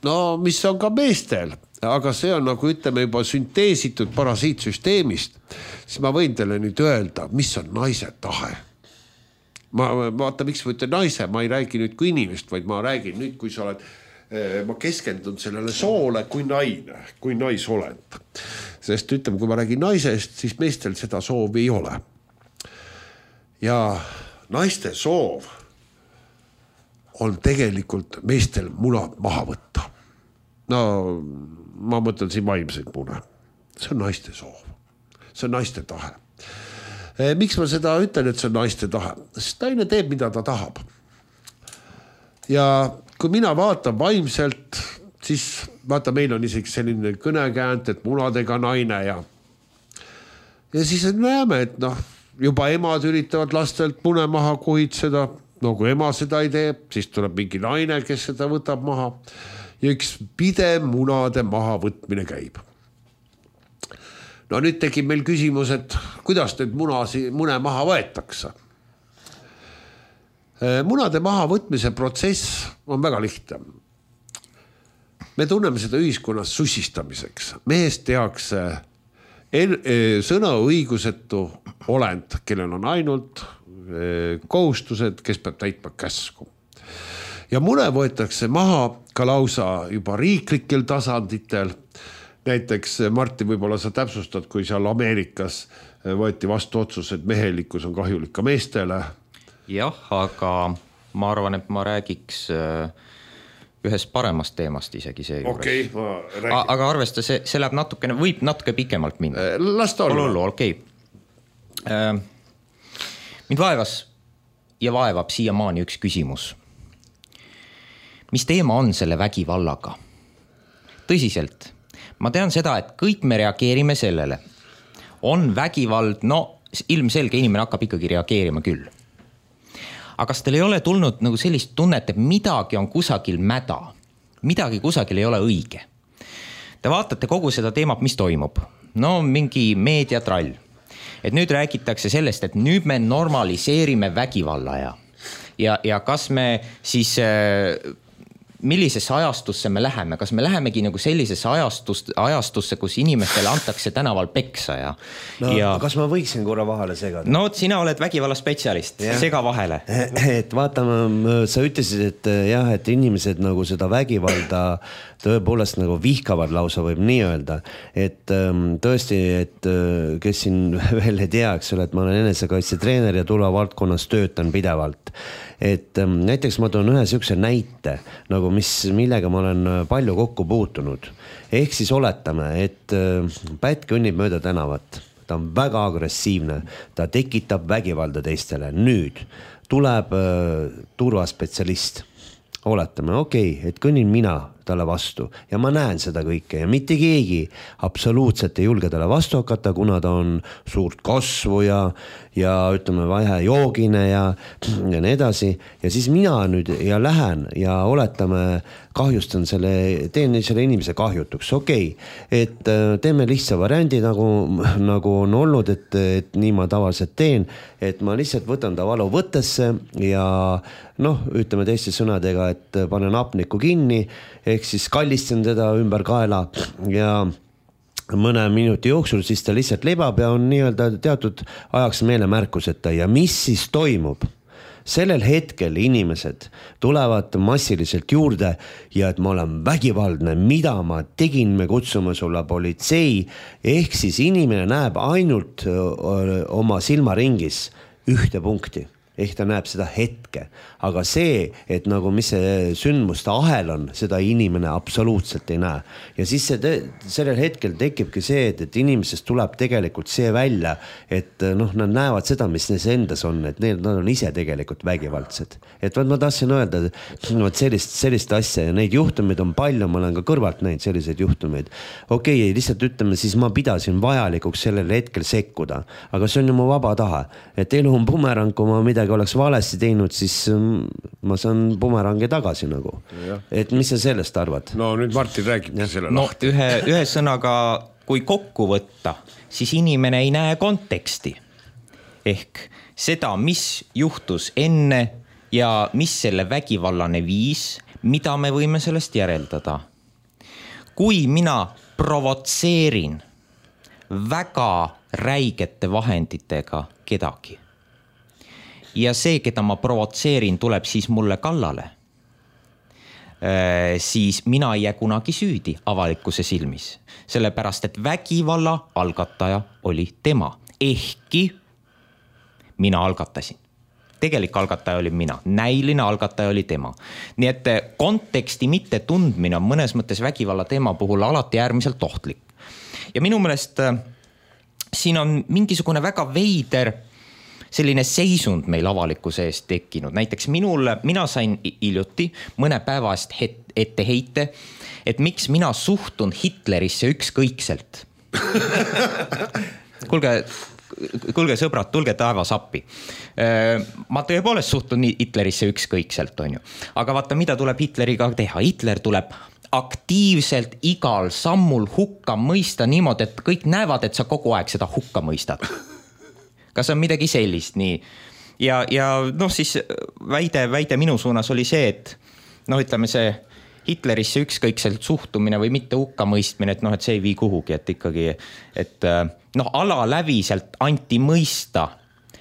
no, mis on ka meestel. Aga see on nagu ütleme juba sünteesitud parasiitsüsteemist, siis ma võin teile nüüd öelda, mis on naise tahe. Ma vaata, miks ma ütlen naise, ma ei räägi nüüd kui inimest, vaid ma räägin nüüd, kui sa oled, ma keskendun sellele soole kui naine, kui naisolend. Sest ütleme, kui ma räägin naisest, siis meestel seda soovi ei ole. Ja naiste soov on tegelikult meestel munad maha võtta. No, ma mõtlen siin vaimseid mune. See on naiste soov. See on naiste tahe. Miks ma seda ütlen, et see on naiste tahe? Sest naine teeb, mida ta tahab. Ja kui mina vaatan vaimselt, siis vaata, meil on isegi selline kõnekäänt, et munadega naine ja ja siis näeme, et noh, juba emad üritavad lastelt mune maha kuhitseda. No kui ema seda ei tee, siis tuleb mingi naine, kes seda võtab maha. Ja üks pidev munade maha võtmine käib. No nüüd tekib meil küsimus, et kuidas nüüd munasi, mune maha võetakse. Munade maha võtmise protsess on väga lihtne. Me tunneme seda ühiskonnas sussistamiseks. Mehest tehakse sõna õigusetu olend, kellel on ainult kohustused, kes peab täitma käsku. Ja mune võetakse maha ka lausa juba riiklikel tasanditel. Näiteks Martin, võib-olla sa täpsustad, kui seal Ameerikas võeti vastu otsus, et mehelikkus on kahjulik ka meestele.
Jah, aga ma arvan, et ma räägiks ühest paremast teemast isegi see juures.
Okei, ma räägin.
Aga arvesta, see, see läheb natukene, võib natuke pikemalt minna.
Las ta olla.
Olulu, okei. Mind vaevas ja vaevab siiamaani üks küsimus. Mis teema on selle vägivallaga? Tõsiselt. Ma tean seda, et kõik me reageerime sellele. On vägivald, no ilmselge inimene hakkab ikkagi reageerima küll. Aga kas teil ei ole tulnud nagu sellist tunnet, et midagi on kusagil mäda? Midagi kusagil ei ole õige? Te vaatate kogu seda teemat, mis toimub. No mingi meediatrall. Et nüüd räägitakse sellest, et nüüd me normaliseerime vägivalla ja, ja, ja kas me siis millisesse ajastusse me läheme, kas me lähemegi nagu sellisesse ajastust, ajastusse, kus inimestele antakse tänaval peksa ja
no,
ja
kas ma võiksin korra vahele segada?
No sina oled vägivalla spetsialist, sega vahele.
Et vaatame, sa ütlesid, et jah, et inimesed nagu seda vägivalda tõepoolest nagu vihkavad lausa võib nii öelda, et tõesti, et kes siin veel ei tea, eks ole, et ma olen enesekaitsetreener ja turvavaldkonnas töötan pidevalt. Et näiteks ma toon ühe sihukese näite, nagu mis, millega ma olen palju kokku puutunud. Ehk siis oletame, et pätt kõnnib mööda tänavat, ta on väga agressiivne, ta tekitab vägivalda teistele. Nüüd tuleb turvaspetsialist. Oletame, okei, okay, et kõnnin mina talle vastu ja ma näen seda kõike ja mitte keegi absoluutselt ei julge talle vastu hakata, kuna ta on suurt kasvu ja, ja ütleme vähe joogine ja, ja nii edasi. Ja siis mina nüüd ja lähen ja oletame, kahjustan selle, teen selle inimese kahjutuks. Okei, okay, et teeme lihtsa variandi, nagu, nagu on olnud, et, et nii ma tavaliselt teen, et ma lihtsalt võtan ta valu võttesse ja noh, ütleme teiste sõnadega, et panen hapniku kinni, ehk siis kallistan teda ümber kaela ja mõne minuti jooksul siis ta lihtsalt lebab ja on nii-öelda teatud ajaks meelemärkuseta. Ja mis siis toimub? Sellel hetkel inimesed tulevad massiliselt juurde ja et ma olen vägivaldne, mida ma tegin, me kutsume sulle politsei, ehk siis inimene näeb ainult oma silmaringis ühte punkti. Ehk ta näeb seda hetke, aga see, et nagu mis see sündmuste ahel on, seda inimene absoluutselt ei näe. Ja siis see te, sellel hetkel tekibki see, et, et inimesest tuleb tegelikult see välja, et noh, nad näevad seda, mis neis endas on, et need, nad on ise tegelikult vägivaldsed. Et ma tahtsin öelda, et sellist, sellist asja ja neid juhtumeid on palju, ma olen ka kõrvalt näinud selliseid juhtumeid. Okei, okay, lihtsalt ütleme, siis ma pidasin vajalikuks sellel hetkel sekkuda, aga see on ju mu vaba taha, et elu on bumerang, kui ma midagi oleks valesti teinud, siis ma saan bumerangi tagasi nagu. Ja. Et mis sa sellest arvad?
No nüüd Martin räägib selle
no,
lahti.
Ühe, ühe sõnaga, kui kokku võtta, siis inimene ei näe konteksti. Ehk seda, mis juhtus enne ja mis selle vägivallane viis, mida me võime sellest järeldada. Kui mina provotseerin väga räigete vahenditega kedagi, ja see, keda ma provotseerin, tuleb siis mulle kallale, siis mina ei jää kunagi süüdi avalikkuse silmis. Sellepärast, et vägivalla algataja oli tema. Ehkki mina algatasin. Tegelik algataja oli mina. Näiline algataja oli tema. Nii et konteksti mitte tundmine on mõnes mõttes vägivalla teema puhul alati äärmiselt ohtlik. Ja minu meelest siin on mingisugune väga veider selline seisund meil avalikkuse eest tekkinud. Näiteks minul, mina sain hiljuti mõne päeva eest ette heite, et miks mina suhtun Hitlerisse ükskõikselt. Kuulge, kuulge sõbrad, tulge taevas appi. Ma tõepoolest suhtun Hitlerisse ükskõikselt, on ju. Aga vaata, mida tuleb Hitleriga teha? Hitler tuleb aktiivselt igal sammul hukka mõista niimoodi, et kõik näevad, et sa kogu aeg seda hukka mõistad. Kas on midagi sellist nii? Ja, ja noh, siis väide, väide minu suunas oli see, et noh, ütleme see Hitlerisse ükskõikselt suhtumine või mitte hukka mõistmine, et noh, et see ei vii kuhugi, et ikkagi, et noh, alaläviselt anti mõista,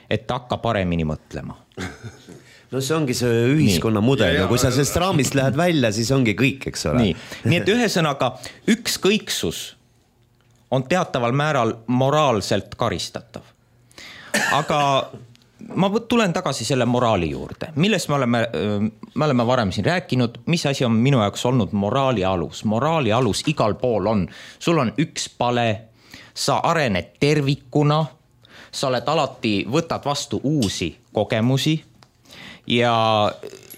et hakka paremini mõtlema.
No see ongi see ühiskonna nii. Mudel ja kui sa sellest raamist lähed välja, siis ongi kõik, eks ole.
Nii, nii et ühesõnaga ükskõiksus on teataval määral moraalselt karistatav. Aga ma tulen tagasi selle moraali juurde, millest me oleme, me oleme varem siin rääkinud, mis asi on minu jaoks olnud moraali alus. Moraali alus igal pool on, sul on üks pale, sa arened tervikuna, sa oled alati, võtad vastu uusi kogemusi ja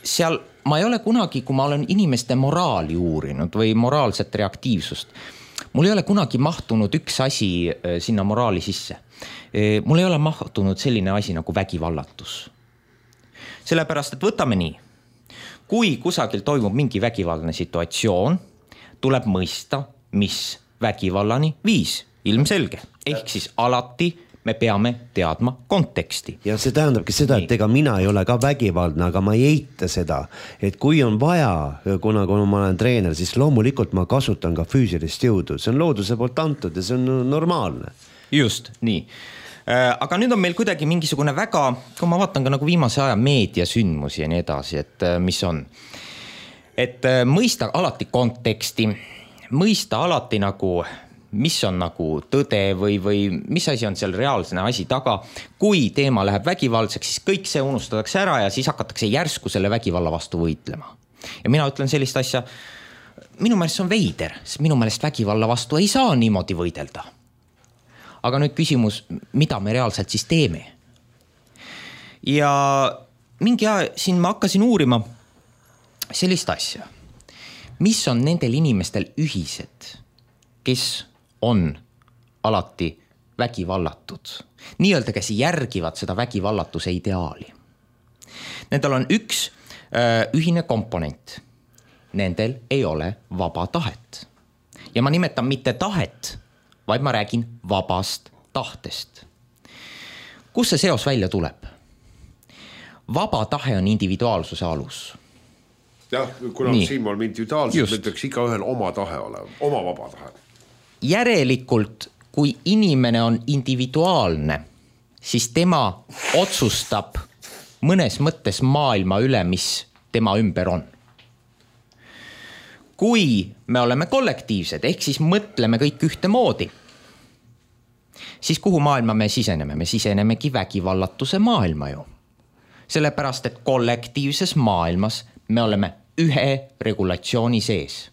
seal ma ei ole kunagi, kui ma olen inimeste moraali uurinud või moraalset reaktiivsust, mul ei ole kunagi mahtunud üks asi sinna moraali sisse. Mul ei ole mahtunud selline asi nagu vägivallatus. Sellepärast, et võtame nii. Kui kusagil toimub mingi vägivaldne situatsioon, tuleb mõista, mis vägivallani viis. Ilmselge. Ehk siis alati me peame teadma konteksti.
Ja see tähendabki seda, et ega mina ei ole ka vägivaldne, aga ma ei eita seda, et kui on vaja, kuna, kuna ma olen treener, siis loomulikult ma kasutan ka füüsilist jõudu. See on looduse poolt antud ja see on normaalne.
Just, nii. Aga nüüd on meil kuidagi mingisugune väga, kui ma vaatan ka nagu viimase aja meediasündmusi ja nii edasi, et mis on. Et mõista alati konteksti, mõista alati nagu... mis on nagu tõde või, või mis asi on seal reaalsene asi taga. Kui teema läheb vägivaldseks, siis kõik see unustatakse ära ja siis hakatakse järsku selle vägivalla vastu võitlema. Ja mina ütlen sellist asja, minu meelest see on veider, sest minu meelest vägivalla vastu ei saa niimoodi võidelda. Aga nüüd küsimus, mida me reaalselt siis teeme? Ja mingi aja siin ma hakkasin uurima sellist asja, mis on nendel inimestel ühised, kes on alati vägivallatud. Nii-öelda, kes järgivad seda vägivallatuse ideaali. Nendel on üks öö, ühine komponent. Nendel ei ole vaba tahet. Ja ma nimetan mitte tahet, vaid ma räägin vabast tahtest. Kus see seos välja tuleb? Vaba tahe on individuaalsuse alus.
Jah, kuna Nii. siin oleme individuaalselt, meil peaks iga ühel oma tahe olema, oma vaba tahe.
Järelikult, kui inimene on individuaalne, siis tema otsustab mõnes mõttes maailma üle, mis tema ümber on. Kui me oleme kollektiivsed, ehk siis mõtleme kõik ühte moodi, siis kuhu maailma me siseneme? Me sisenemegi vägivallatuse maailma ju. Sellepärast, et kollektiivses maailmas me oleme ühe regulatsiooni sees.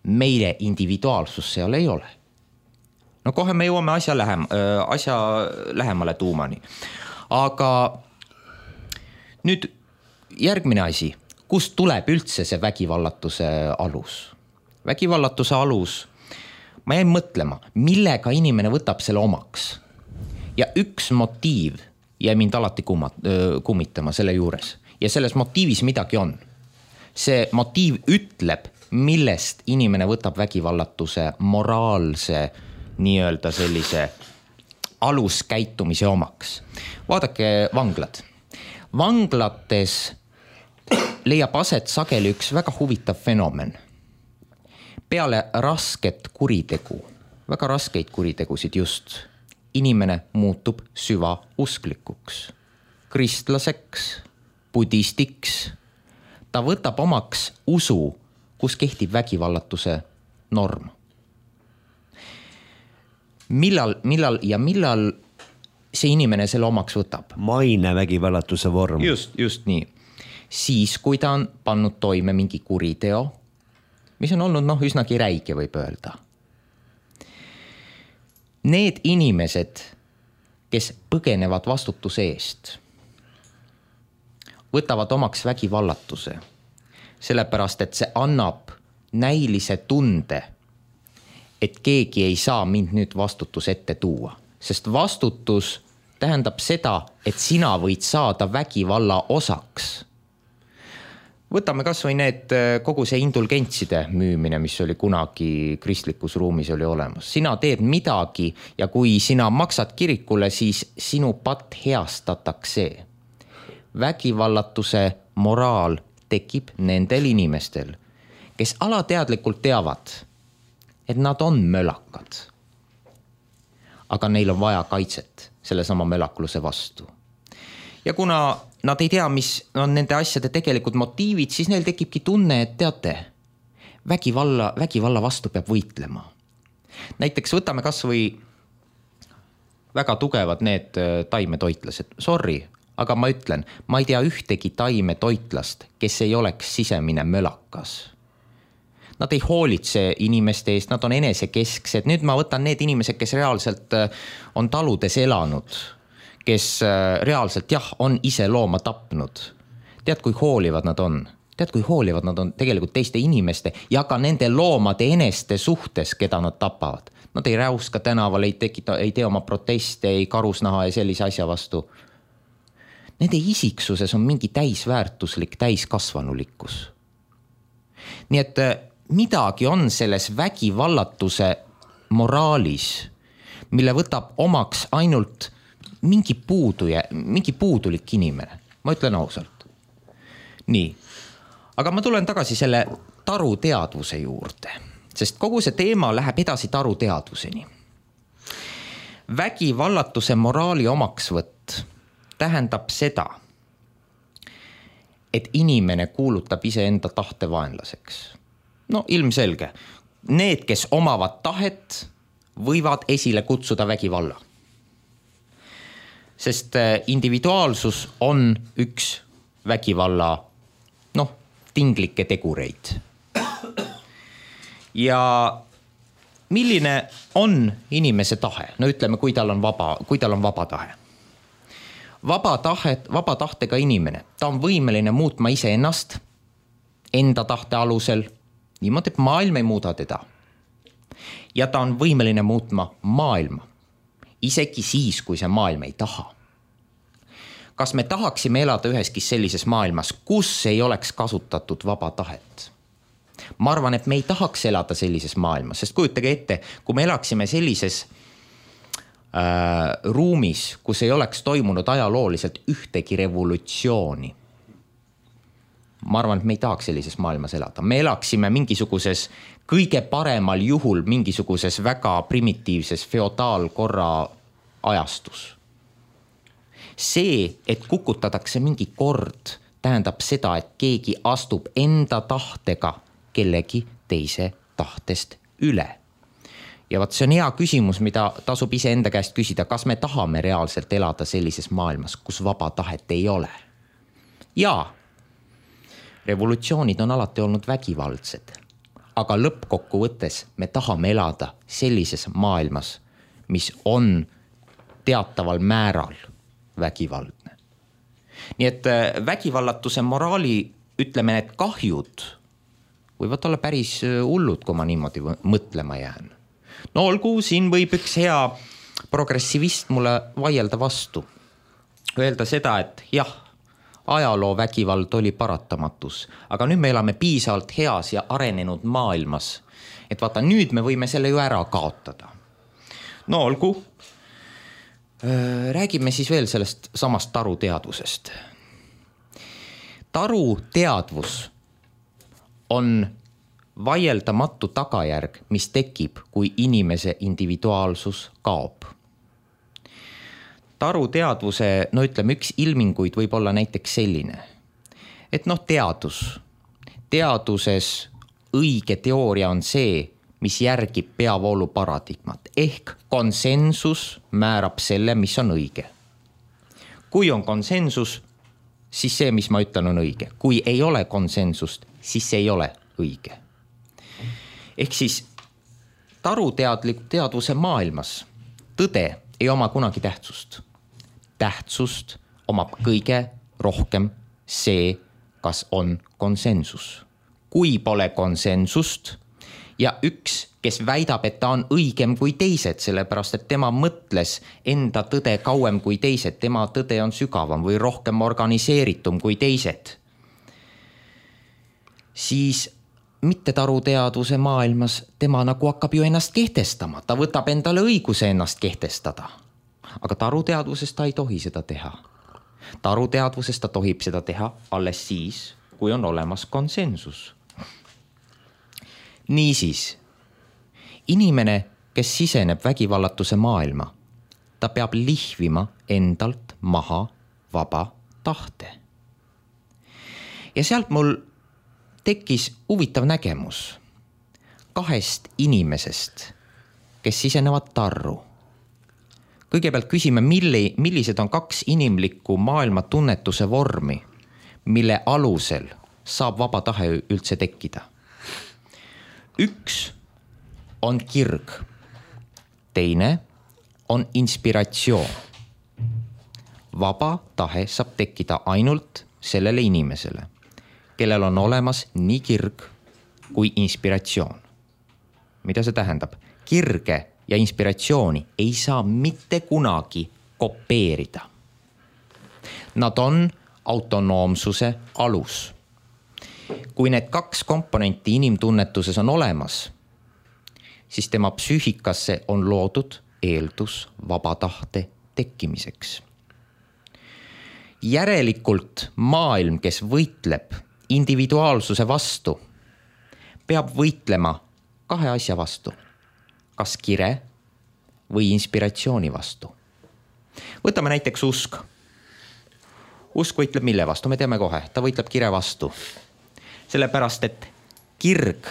Meile individuaalsus seal ei ole. No kohe me jõuame asja, lähem, asja lähemale tuumani. Aga nüüd järgmine asi, kust tuleb üldse see vägivallatuse alus? Vägivallatuse alus, ma jäin mõtlema, millega inimene võtab selle omaks. Ja üks motiiv jäi mind alati kummitama selle juures. Ja selles motiivis midagi on. See motiiv ütleb, millest inimene võtab vägivallatuse moraalse nii-öelda sellise aluskäitumise omaks. Vaadake vanglad. Vanglates leiab aset sageli üks väga huvitav fenomen. Peale rasket kuritegu, väga raskeid kuritegusid just, inimene muutub süva usklikuks, kristlaseks, budistiks. Ta võtab omaks usu, kus kehtib vägivallatuse norm. Millal, millal ja millal see inimene selle omaks võtab?
Maine vägivallatuse vorm.
Just, just nii. Siis, kui ta on pannud toime mingi kuriteo, mis on olnud noh, üsnagi räige võib öelda. Need inimesed, kes põgenevad vastutuse eest, võtavad omaks vägivallatuse, sellepärast, et see annab näilise tunde, et keegi ei saa mind nüüd vastutus ette tuua. Sest vastutus tähendab seda, et sina võid saada vägivalla osaks. Võtame kas või need kogu see indulgentside müümine, mis oli kunagi kristlikus ruumis oli olemas. Sina teed midagi ja kui sina maksad kirikule, siis sinu patt heastatakse. Vägivallatuse moraal tekib nendel inimestel, kes alateadlikult teavad, et nad on mölakad. Aga neil on vaja kaitset selle sama mölakluse vastu. Ja kuna nad ei tea, mis on nende asjade tegelikult motiivid, siis neil tekibki tunne, et teate, vägivalla, vägivalla vastu peab võitlema. Näiteks võtame kas või väga tugevad need taimetoitlased. Sorry, aga ma ütlen, ma ei tea ühtegi taimetoitlast, kes ei oleks sisemine mölakas. Nad ei hoolitse inimeste eest, nad on enesekesksed. Nüüd ma võtan need inimesed, kes reaalselt on taludes elanud, kes reaalselt jah, on ise looma tapnud. Tead, kui hoolivad nad on? Tead, kui hoolivad nad on tegelikult teiste inimeste ja ka nende loomade eneste suhtes, keda nad tapavad. Nad ei räuska tänaval, ei, tekita, ei tee oma proteste, ei karusnaha ja sellise asja vastu. Nende isiksuses on mingi täisväärtuslik, täiskasvanulikkus. Nii et midagi on selles vägivallatuse moraalis, mille võtab omaks ainult mingi puuduja, mingi puudulik inimene. Ma ütlen ausalt. Nii, aga ma tulen tagasi selle taruteadvuse juurde, sest kogu see teema läheb edasi taruteadvuseni. Vägivallatuse moraali omaksvõtt tähendab seda, et inimene kuulutab iseenda tahte vaenlaseks. No ilmselge, need, kes omavad tahet, võivad esile kutsuda vägivalla. Sest individuaalsus on üks vägivalla noh, tinglikke tegureid. Ja milline on inimese tahe? No ütleme, kui tal on vaba, kui tal on vaba tahe. Vaba, tahet, vaba tahtega inimene, ta on võimeline muutma ise ennast, enda tahte alusel, niimoodi, et maailm ei muuda teda. Ja ta on võimeline muutma maailma, isegi siis, kui see maailm ei taha. Kas me tahaksime elada üheski sellises maailmas, kus ei oleks kasutatud vaba tahet? Ma arvan, et me ei tahaks elada sellises maailmas, sest kujutage ette, kui me elaksime sellises äh, ruumis, kus ei oleks toimunud ajalooliselt ühtegi revolutsiooni. Ma arvan, et me ei tahaks sellises maailmas elada. Me elaksime mingisuguses kõige paremal juhul mingisuguses väga primitiivses feodaalkorra ajastus. See, et kukutatakse mingi kord, tähendab seda, et keegi astub enda tahtega kellegi teise tahtest üle. Ja vaat see on hea küsimus, mida tasub ise enda käest küsida, kas me tahame reaalselt elada sellises maailmas, kus vaba tahet ei ole. Jaa, revolutsioonid on alati olnud vägivaldsed, aga lõppkokkuvõttes me tahame elada sellises maailmas, mis on teataval määral vägivaldne. Nii et vägivallatuse moraali, ütleme, need kahjud võivad olla päris hullud, kui ma niimoodi mõtlema jään. No olgu, siin võib üks hea progressivist mulle vaielda vastu. Öelda seda, et jah, ajaloo vägivald oli paratamatus, aga nüüd me elame piisavalt heas ja arenenud maailmas, et vaata, nüüd me võime selle ju ära kaotada. No olgu, räägime siis veel sellest samast taruteadvusest. Taruteadvus on vaieldamatu tagajärg, mis tekib, kui inimese individuaalsus kaob. Taruteadvuse, no ütleme, üks ilminguid võib olla näiteks selline, et noh, teadus. Teaduses õige teooria on see, mis järgib peavoolu paradigmat, ehk konsensus määrab selle, mis on õige. Kui on konsensus, siis see, mis ma ütlen, on õige. Kui ei ole konsensust, siis see ei ole õige. Ehk siis taruteadliku teadvuse maailmas tõde ei oma kunagi tähtsust. Tähtsust omab kõige rohkem see, kas on konsensus. Kui pole konsensust ja üks, kes väidab, et ta on õigem kui teised, sellepärast, et tema mõtles enda tõde kauem kui teised, tema tõde on sügavam või rohkem organiseeritum kui teised, siis mitte taruteadvuse maailmas tema nagu hakkab ju ennast kehtestama. Ta võtab endale õiguse ennast kehtestada. Aga taruteadvuses ta ei tohi seda teha. Taruteadvuses ta tohib seda teha alles siis, kui on olemas konsensus. Niisiis, inimene, kes siseneb vägivallatuse maailma, ta peab lihvima endalt maha vaba tahte. Ja sealt mul tekkis huvitav nägemus kahest inimesest, kes sisenevad tarru. Kõigepealt küsime, milli, millised on kaks inimlikku maailma tunnetuse vormi, mille alusel saab vaba tahe üldse tekkida. Üks on kirg, teine on inspiratsioon. Vaba tahe saab tekkida ainult sellele inimesele, kellel on olemas nii kirg kui inspiratsioon. Mida see tähendab? Kirge ja inspiratsiooni ei saa mitte kunagi kopeerida. Nad on autonoomsuse alus. Kui need kaks komponenti inimtunnetuses on olemas, siis tema psüühikasse on loodud eeldus vaba tahte tekkimiseks. Järelikult maailm, kes võitleb individuaalsuse vastu, peab võitlema kahe asja vastu, kas kire või inspiratsiooni vastu. Võtame näiteks usk. Usk võitleb mille vastu, me teame kohe, ta võitleb kire vastu. Sellepärast, et kirg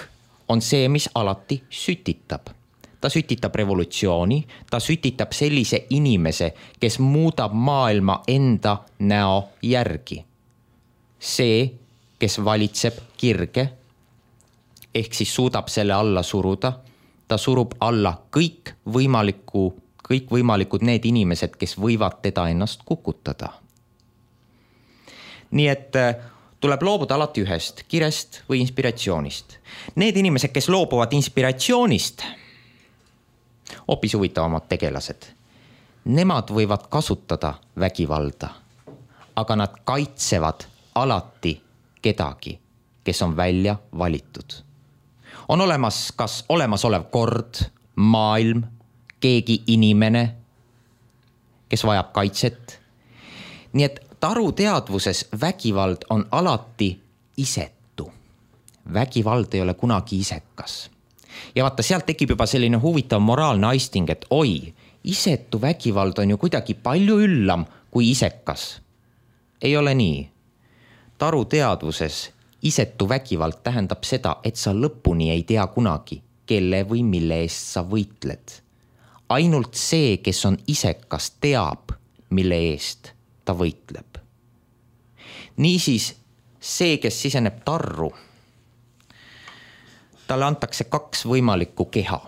on see, mis alati sütitab. Ta sütitab revolutsiooni, ta sütitab sellise inimese, kes muudab maailma enda näo järgi. See, kes valitseb kirge, ehk siis suudab selle alla suruda, ta surub alla kõik võimaliku, kõik võimalikud need inimesed, kes võivad teda ennast kukutada. Nii et tuleb loobuda alati ühest, kirest või inspiratsioonist. Need inimesed, kes loobuvad inspiratsioonist, hoopis huvitavamad tegelased. Nemad võivad kasutada vägivalda, aga nad kaitsevad alati kedagi, kes on välja valitud. On olemas kas olemasolev kord, maailm, keegi inimene, kes vajab kaitset. Nii et taru teadvuses vägivald on alati isetu. Vägivald ei ole kunagi isekas. Ja vaata, sealt tekib juba selline huvitav moraalne aisting, et oi, isetu vägivald on ju kuidagi palju üllam kui isekas. Ei ole nii. Taru teadvuses isetu vägivald tähendab seda, et sa lõpuni ei tea kunagi, kelle või mille eest sa võitled. Ainult see, kes on isekas, teab, mille eest ta võitleb. Niisiis, see, kes siseneb tarru, talle antakse kaks võimalikku keha.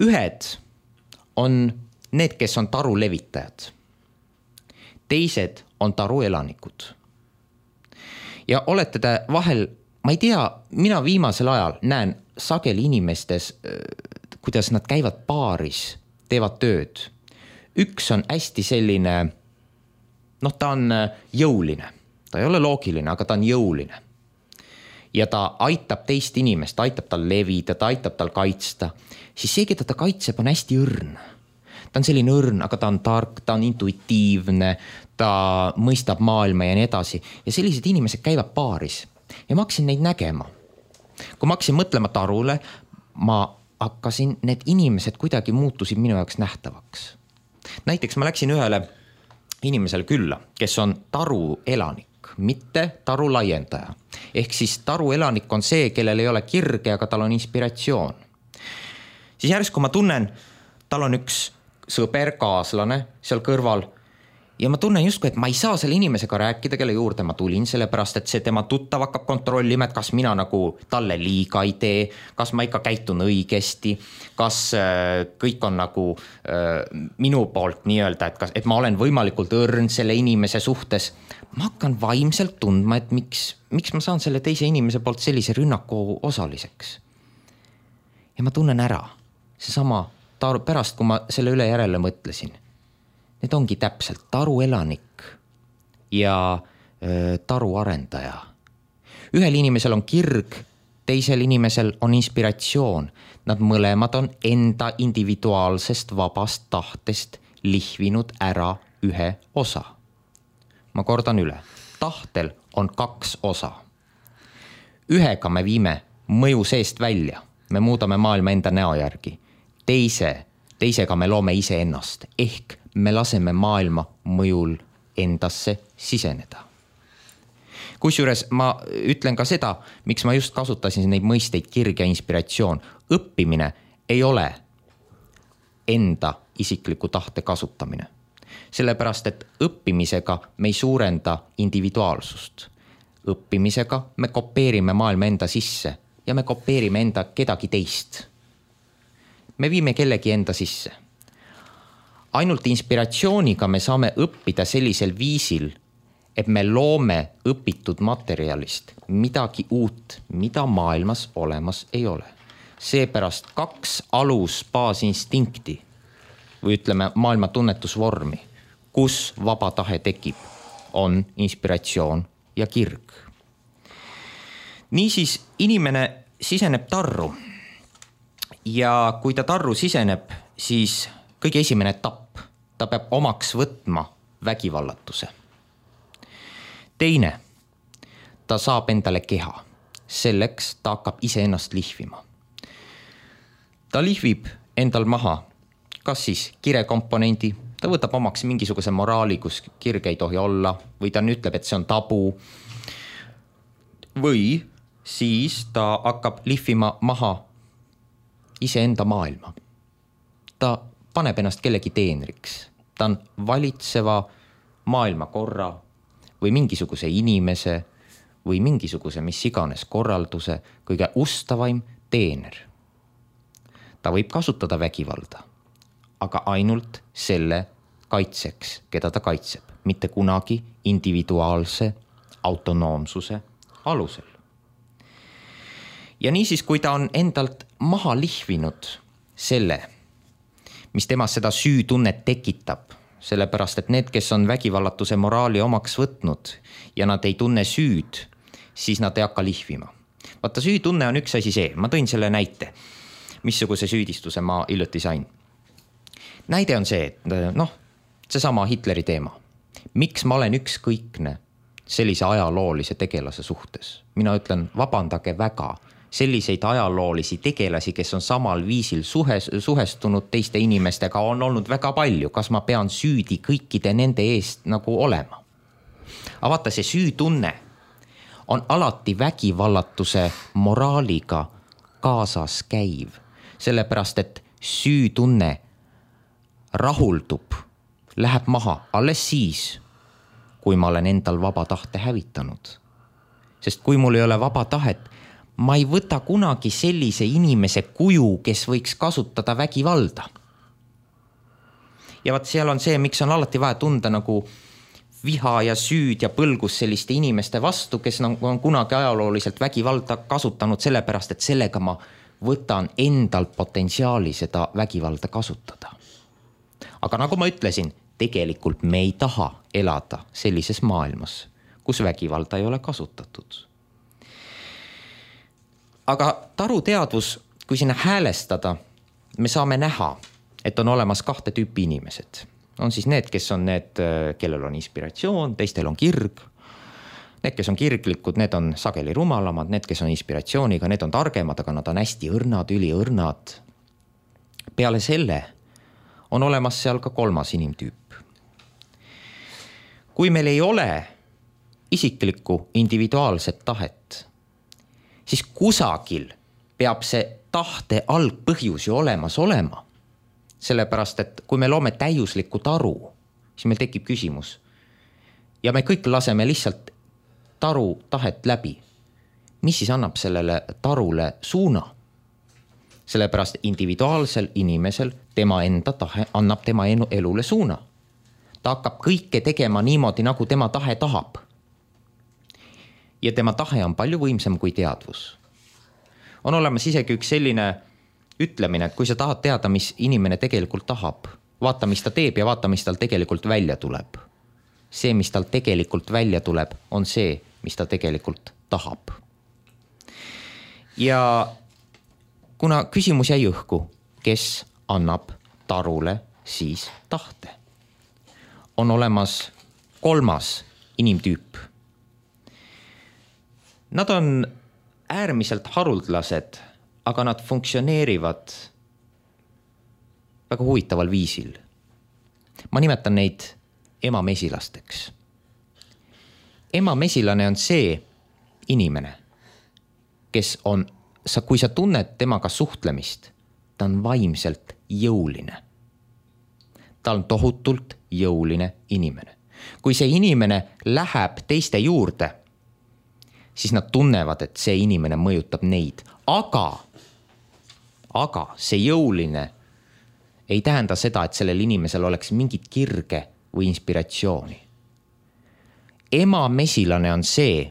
Ühed on need, kes on taru levitajad. Teised on taru elanikud. Ja olete te vahel, ma ei tea, mina viimasel ajal näen sageli inimestes, kuidas nad käivad baaris, teevad tööd. Üks on hästi selline, noh, ta on jõuline. Ta ei ole loogiline, aga ta on jõuline. Ja ta aitab teist inimest, aitab tal levida, ta aitab tal kaitsta. Siis see, keda ta kaitseb, on hästi õrn. Ta on selline õrn, aga ta on tark, ta on intuitiivne, ta mõistab maailma ja nii edasi. Ja sellised inimesed käivad baaris. Ja ma hakkasin neid nägema. Kui ma hakkasin mõtlema tarule, ma hakkasin, need inimesed kuidagi muutusid minu jaoks nähtavaks. Näiteks ma läksin ühele inimesele külla, kes on taru elanik, mitte taru laiendaja. Ehk siis taru elanik on see, kellel ei ole kirge, aga tal on inspiratsioon. Siis järsku ma tunnen, tal on üks sõber, kaaslane seal kõrval ja ma tunnen justkui, et ma ei saa selle inimesega rääkida, kelle juurde ma tulin, sellepärast, et see tema tuttav hakkab kontrollima, et kas mina nagu talle liiga ei tee, kas ma ikka käitun õigesti, kas kõik on nagu äh, minu poolt nii-öelda, et, kas, et ma olen võimalikult õrn selle inimese suhtes. Ma hakkan vaimselt tundma, et miks, miks ma saan selle teise inimese poolt sellise rünnaku osaliseks. Ja ma tunnen ära, seesama taru, pärast, kui ma selle üle järele mõtlesin. Need ongi täpselt taru elanik ja öö, taru arendaja. Ühel inimesel on kirg, teisel inimesel on inspiratsioon. Nad mõlemad on enda individuaalsest vabast tahtest lihvinud ära ühe osa. Ma kordan üle. Tahtel on kaks osa. Ühega me viime mõju seest välja. Me muudame maailma enda näo järgi. Teise, teisega me loome ise ennast, ehk me laseme maailma mõjul endasse siseneda. Kusjuures ma ütlen ka seda, miks ma just kasutasin neid mõisteid kirg ja inspiratsioon. Õppimine ei ole enda isikliku tahte kasutamine. Sellepärast, et õppimisega me ei suurenda individuaalsust. Õppimisega me kopeerime maailma enda sisse ja me kopeerime enda kedagi teist. Me viime kellegi enda sisse. Ainult inspiratsiooniga me saame õppida sellisel viisil, et me loome õpitud materjalist midagi uut, mida maailmas olemas ei ole. Seepärast kaks alus baasinstinkti või ütleme maailma tunnetusvormi, kus vaba tahe tekib, on inspiratsioon ja kirg. Niisiis inimene siseneb tarru. Ja kui ta tarru siseneb, siis kõige esimene etapp, ta peab omaks võtma vägivallatuse. Teine, ta saab endale keha, selleks ta hakkab iseennast lihvima. Ta lihvib endal maha, kas siis kirekomponendi, ta võtab omaks mingisuguse moraali, kus kirge ei tohi olla, või ta ütleb, et see on tabu, või siis ta hakkab lihvima maha iseenda maailma. Ta paneb ennast kellegi teenriks, ta on valitseva maailmakorra või mingisuguse inimese või mingisuguse mis iganes korralduse kõige ustavaim teener. Ta võib kasutada vägivalda, aga ainult selle kaitseks, keda ta kaitseb, mitte kunagi individuaalse autonoomsuse alusel. Ja niisiis, kui ta on endalt maha lihvinud selle, mis temas seda süütunnet tekitab, sellepärast et need, kes on vägivallatuse moraali omaks võtnud ja nad ei tunne süüd, siis nad ei hakka lihvima. Vaata, süütunne on üks asi see, ma tõin selle näite, missuguse süüdistuse ma hiljuti sain. Näide on see, et noh, seesama Hitleri teema. Miks ma olen ükskõikne sellise ajaloolise tegelase suhtes? Mina ütlen, vabandage väga, selliseid ajaloolisi tegelasi, kes on samal viisil suhes, suhestunud teiste inimestega, on olnud väga palju. Kas ma pean süüdi kõikide nende eest nagu olema? Aga vaata, see süütunne on alati vägivallatuse moraaliga kaasas käiv, sellepärast et süütunne rahuldub, läheb maha alles siis, kui ma olen endal vaba tahte hävitanud. Sest kui mul ei ole vaba tahet, ma ei võta kunagi sellise inimese kuju, kes võiks kasutada vägivalda. Ja vaat seal on see, miks on alati vaja tunda nagu viha ja süüd ja põlgus selliste inimeste vastu, kes on kunagi ajalooliselt vägivalda kasutanud sellepärast, et sellega ma võtan endal potentsiaali seda vägivalda kasutada. Aga nagu ma ütlesin, tegelikult me ei taha elada sellises maailmas, kus vägivalda ei ole kasutatud. Aga taruteadvus, kui sinna häälestada, me saame näha, et on olemas kahte tüüpi inimesed. On siis need, kes on need, kellel on inspiratsioon, teistel on kirg. Need, kes on kirglikud, need on sageli rumalamad, need, kes on inspiratsiooniga, need on targemad, aga nad on hästi õrnad, üliõrnad. Peale selle on olemas seal ka kolmas inimtüüp. Kui meil ei ole isiklikku individuaalset tahet, siis kusagil peab see tahte algpõhjus ju olemas olema. Sellepärast, et kui me loome täiuslikku taru, siis meil tekib küsimus. Ja me kõik laseme lihtsalt taru tahet läbi. Mis siis annab sellele tarule suuna? Sellepärast individuaalsel inimesel tema enda tahe annab tema elule suuna. Ta hakkab kõike tegema niimoodi, nagu tema tahe tahab. Ja tema tahe on palju võimsam kui teadvus. On olemas isegi üks selline ütlemine, et kui sa tahad teada, mis inimene tegelikult tahab, vaata, mis ta teeb ja vaata, mis tal tegelikult välja tuleb. See, mis tal tegelikult välja tuleb, on see, mis ta tegelikult tahab. Ja kuna küsimus jäi õhku, kes annab tarule siis tahte? On olemas kolmas inimtüüp. Nad on äärmiselt haruldlased, aga nad funktsioneerivad väga huvitaval viisil. Ma nimetan neid emamesilasteks. Emamesilane on see inimene, kes on, kui sa tunned temaga suhtlemist, ta on vaimselt jõuline. Ta on tohutult jõuline inimene. Kui see inimene läheb teiste juurde, siis nad tunnevad, et see inimene mõjutab neid. Aga, aga see jõuline ei tähenda seda, et sellel inimesel oleks mingit kirge või inspiratsiooni. Emamesilane on see,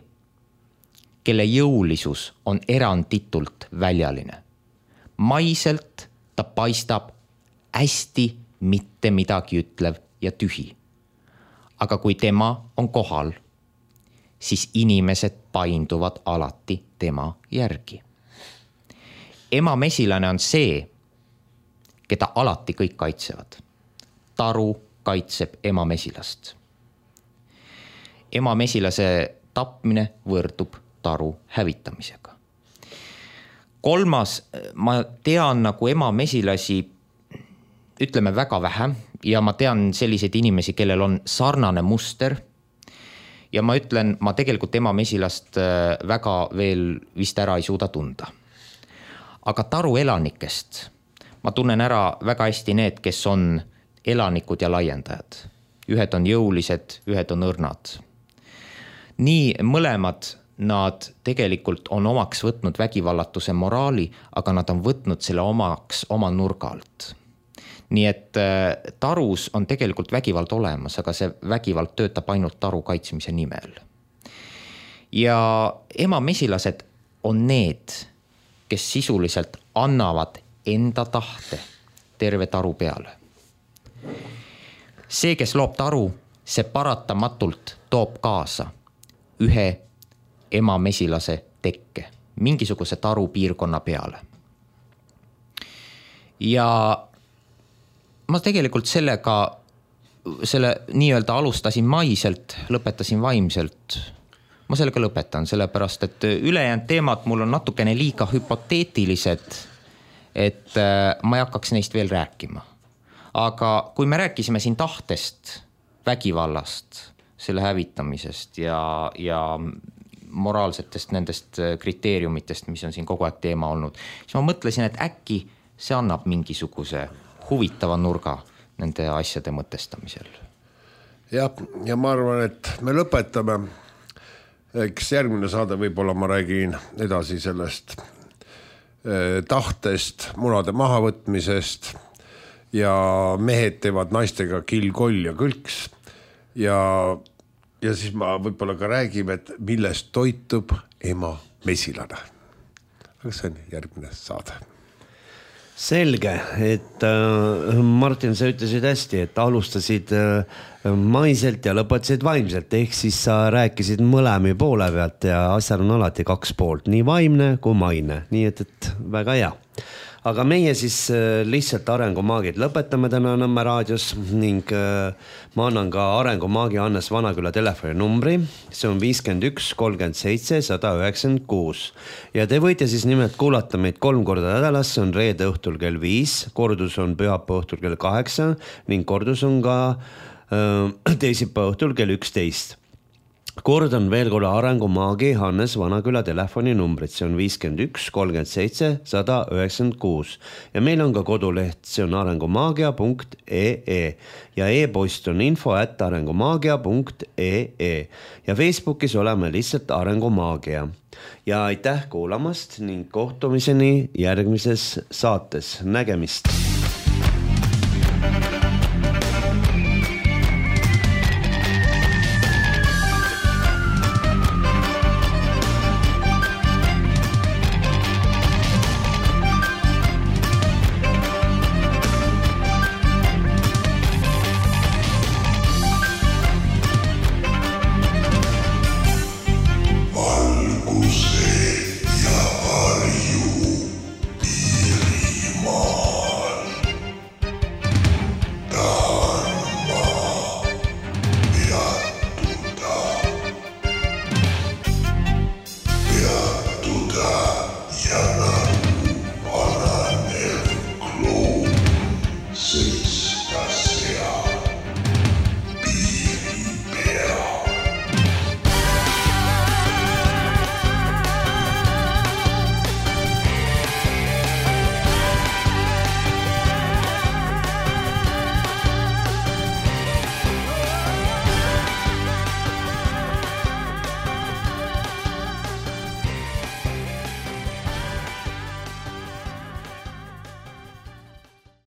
kelle jõulisus on eranditult väljaline. Maiselt ta paistab hästi mitte midagi ütlev ja tühi. Aga kui tema on kohal, siis inimesed painduvad alati tema järgi. Emamesilane on see, keda alati kõik kaitsevad. Taru kaitseb ema mesilast. Ema mesilase tapmine võrdub taru hävitamisega. Kolmas, ma tean nagu ema mesilasi, ütleme väga vähe ja ma tean selliseid inimesi, kellel on sarnane muster ja ma ütlen, ma tegelikult ema mesilast väga veel vist ära ei suuda tunda. Aga taru elanikest ma tunnen ära väga hästi need, kes on elanikud ja laiendajad. Ühed on jõulised, ühed on õrnad. Nii mõlemad nad tegelikult on omaks võtnud vägivallatuse moraali, aga nad on võtnud selle omaks oma nurga alt. Nii et tarus on tegelikult vägivald olemas, aga see vägivald töötab ainult taru kaitsmise nimel. Ja ema mesilased on need, kes sisuliselt annavad enda tahte terve taru peale. See, kes loob taru, see paratamatult toob kaasa ühe ema mesilase tekke, mingisuguse taru piirkonna peale. Ja ma tegelikult sellega, selle nii-öelda alustasin maiselt, lõpetasin vaimselt. Ma sellega lõpetan, sellepärast, et ülejäänud teemad mul on natukene liiga hüpoteetilised, et ma ei hakkaks neist veel rääkima. Aga kui me rääkisime siin tahtest, vägivallast, selle hävitamisest ja, ja moraalsetest nendest kriteeriumitest, mis on siin kogu aeg teema olnud, siis ma mõtlesin, et äkki see annab mingisuguse huvitava nurga nende asjade mõtestamisel.
Ja, ja ma arvan, et me lõpetame. Eks järgmine saade võib-olla ma räägin edasi sellest tahtest, munade mahavõtmisest ja mehed teevad naistega kill, koll ja kõlks ja Ja siis ma võib-olla ka räägime, et millest toitub ema mesilane. Aga see on järgmine saade.
Selge, et äh, Martin, sa ütlesid hästi, et alustasid äh, maiselt ja lõpetasid vaimselt, ehk siis sa rääkisid mõlemi poole pealt ja asjal on alati kaks poolt, nii vaimne kui maine, nii et, et väga hea. Aga meie siis lihtsalt arengumaagid lõpetame täna Nõmme raadios ning ma annan ka arengumaagi Hannes Vanaküla telefoni numbri. See on viiskümmend üks kolmkümmend seitse sada üheksakümmend kuus. Ja te võite siis nimelt kuulata meid kolm korda nädalas, see on reede õhtul kell viis, kordus on pühapäeva õhtul kell kaheksa ning kordus on ka äh, teisipäeva õhtul kell üksteist. Kordan veel korda arengumaagi Hannes Vanaküla telefoni numbrit, see on viiskümmend üks kolmkümmend seitse sada üheksakümmend kuus ja meil on ka koduleht, see on arengumaagia punkt ee ja e-post on info at arengumaagia punkt ee ja Facebookis oleme lihtsalt arengumaagia. Ja aitäh kuulamast ning kohtumiseni järgmises saates. Nägemist!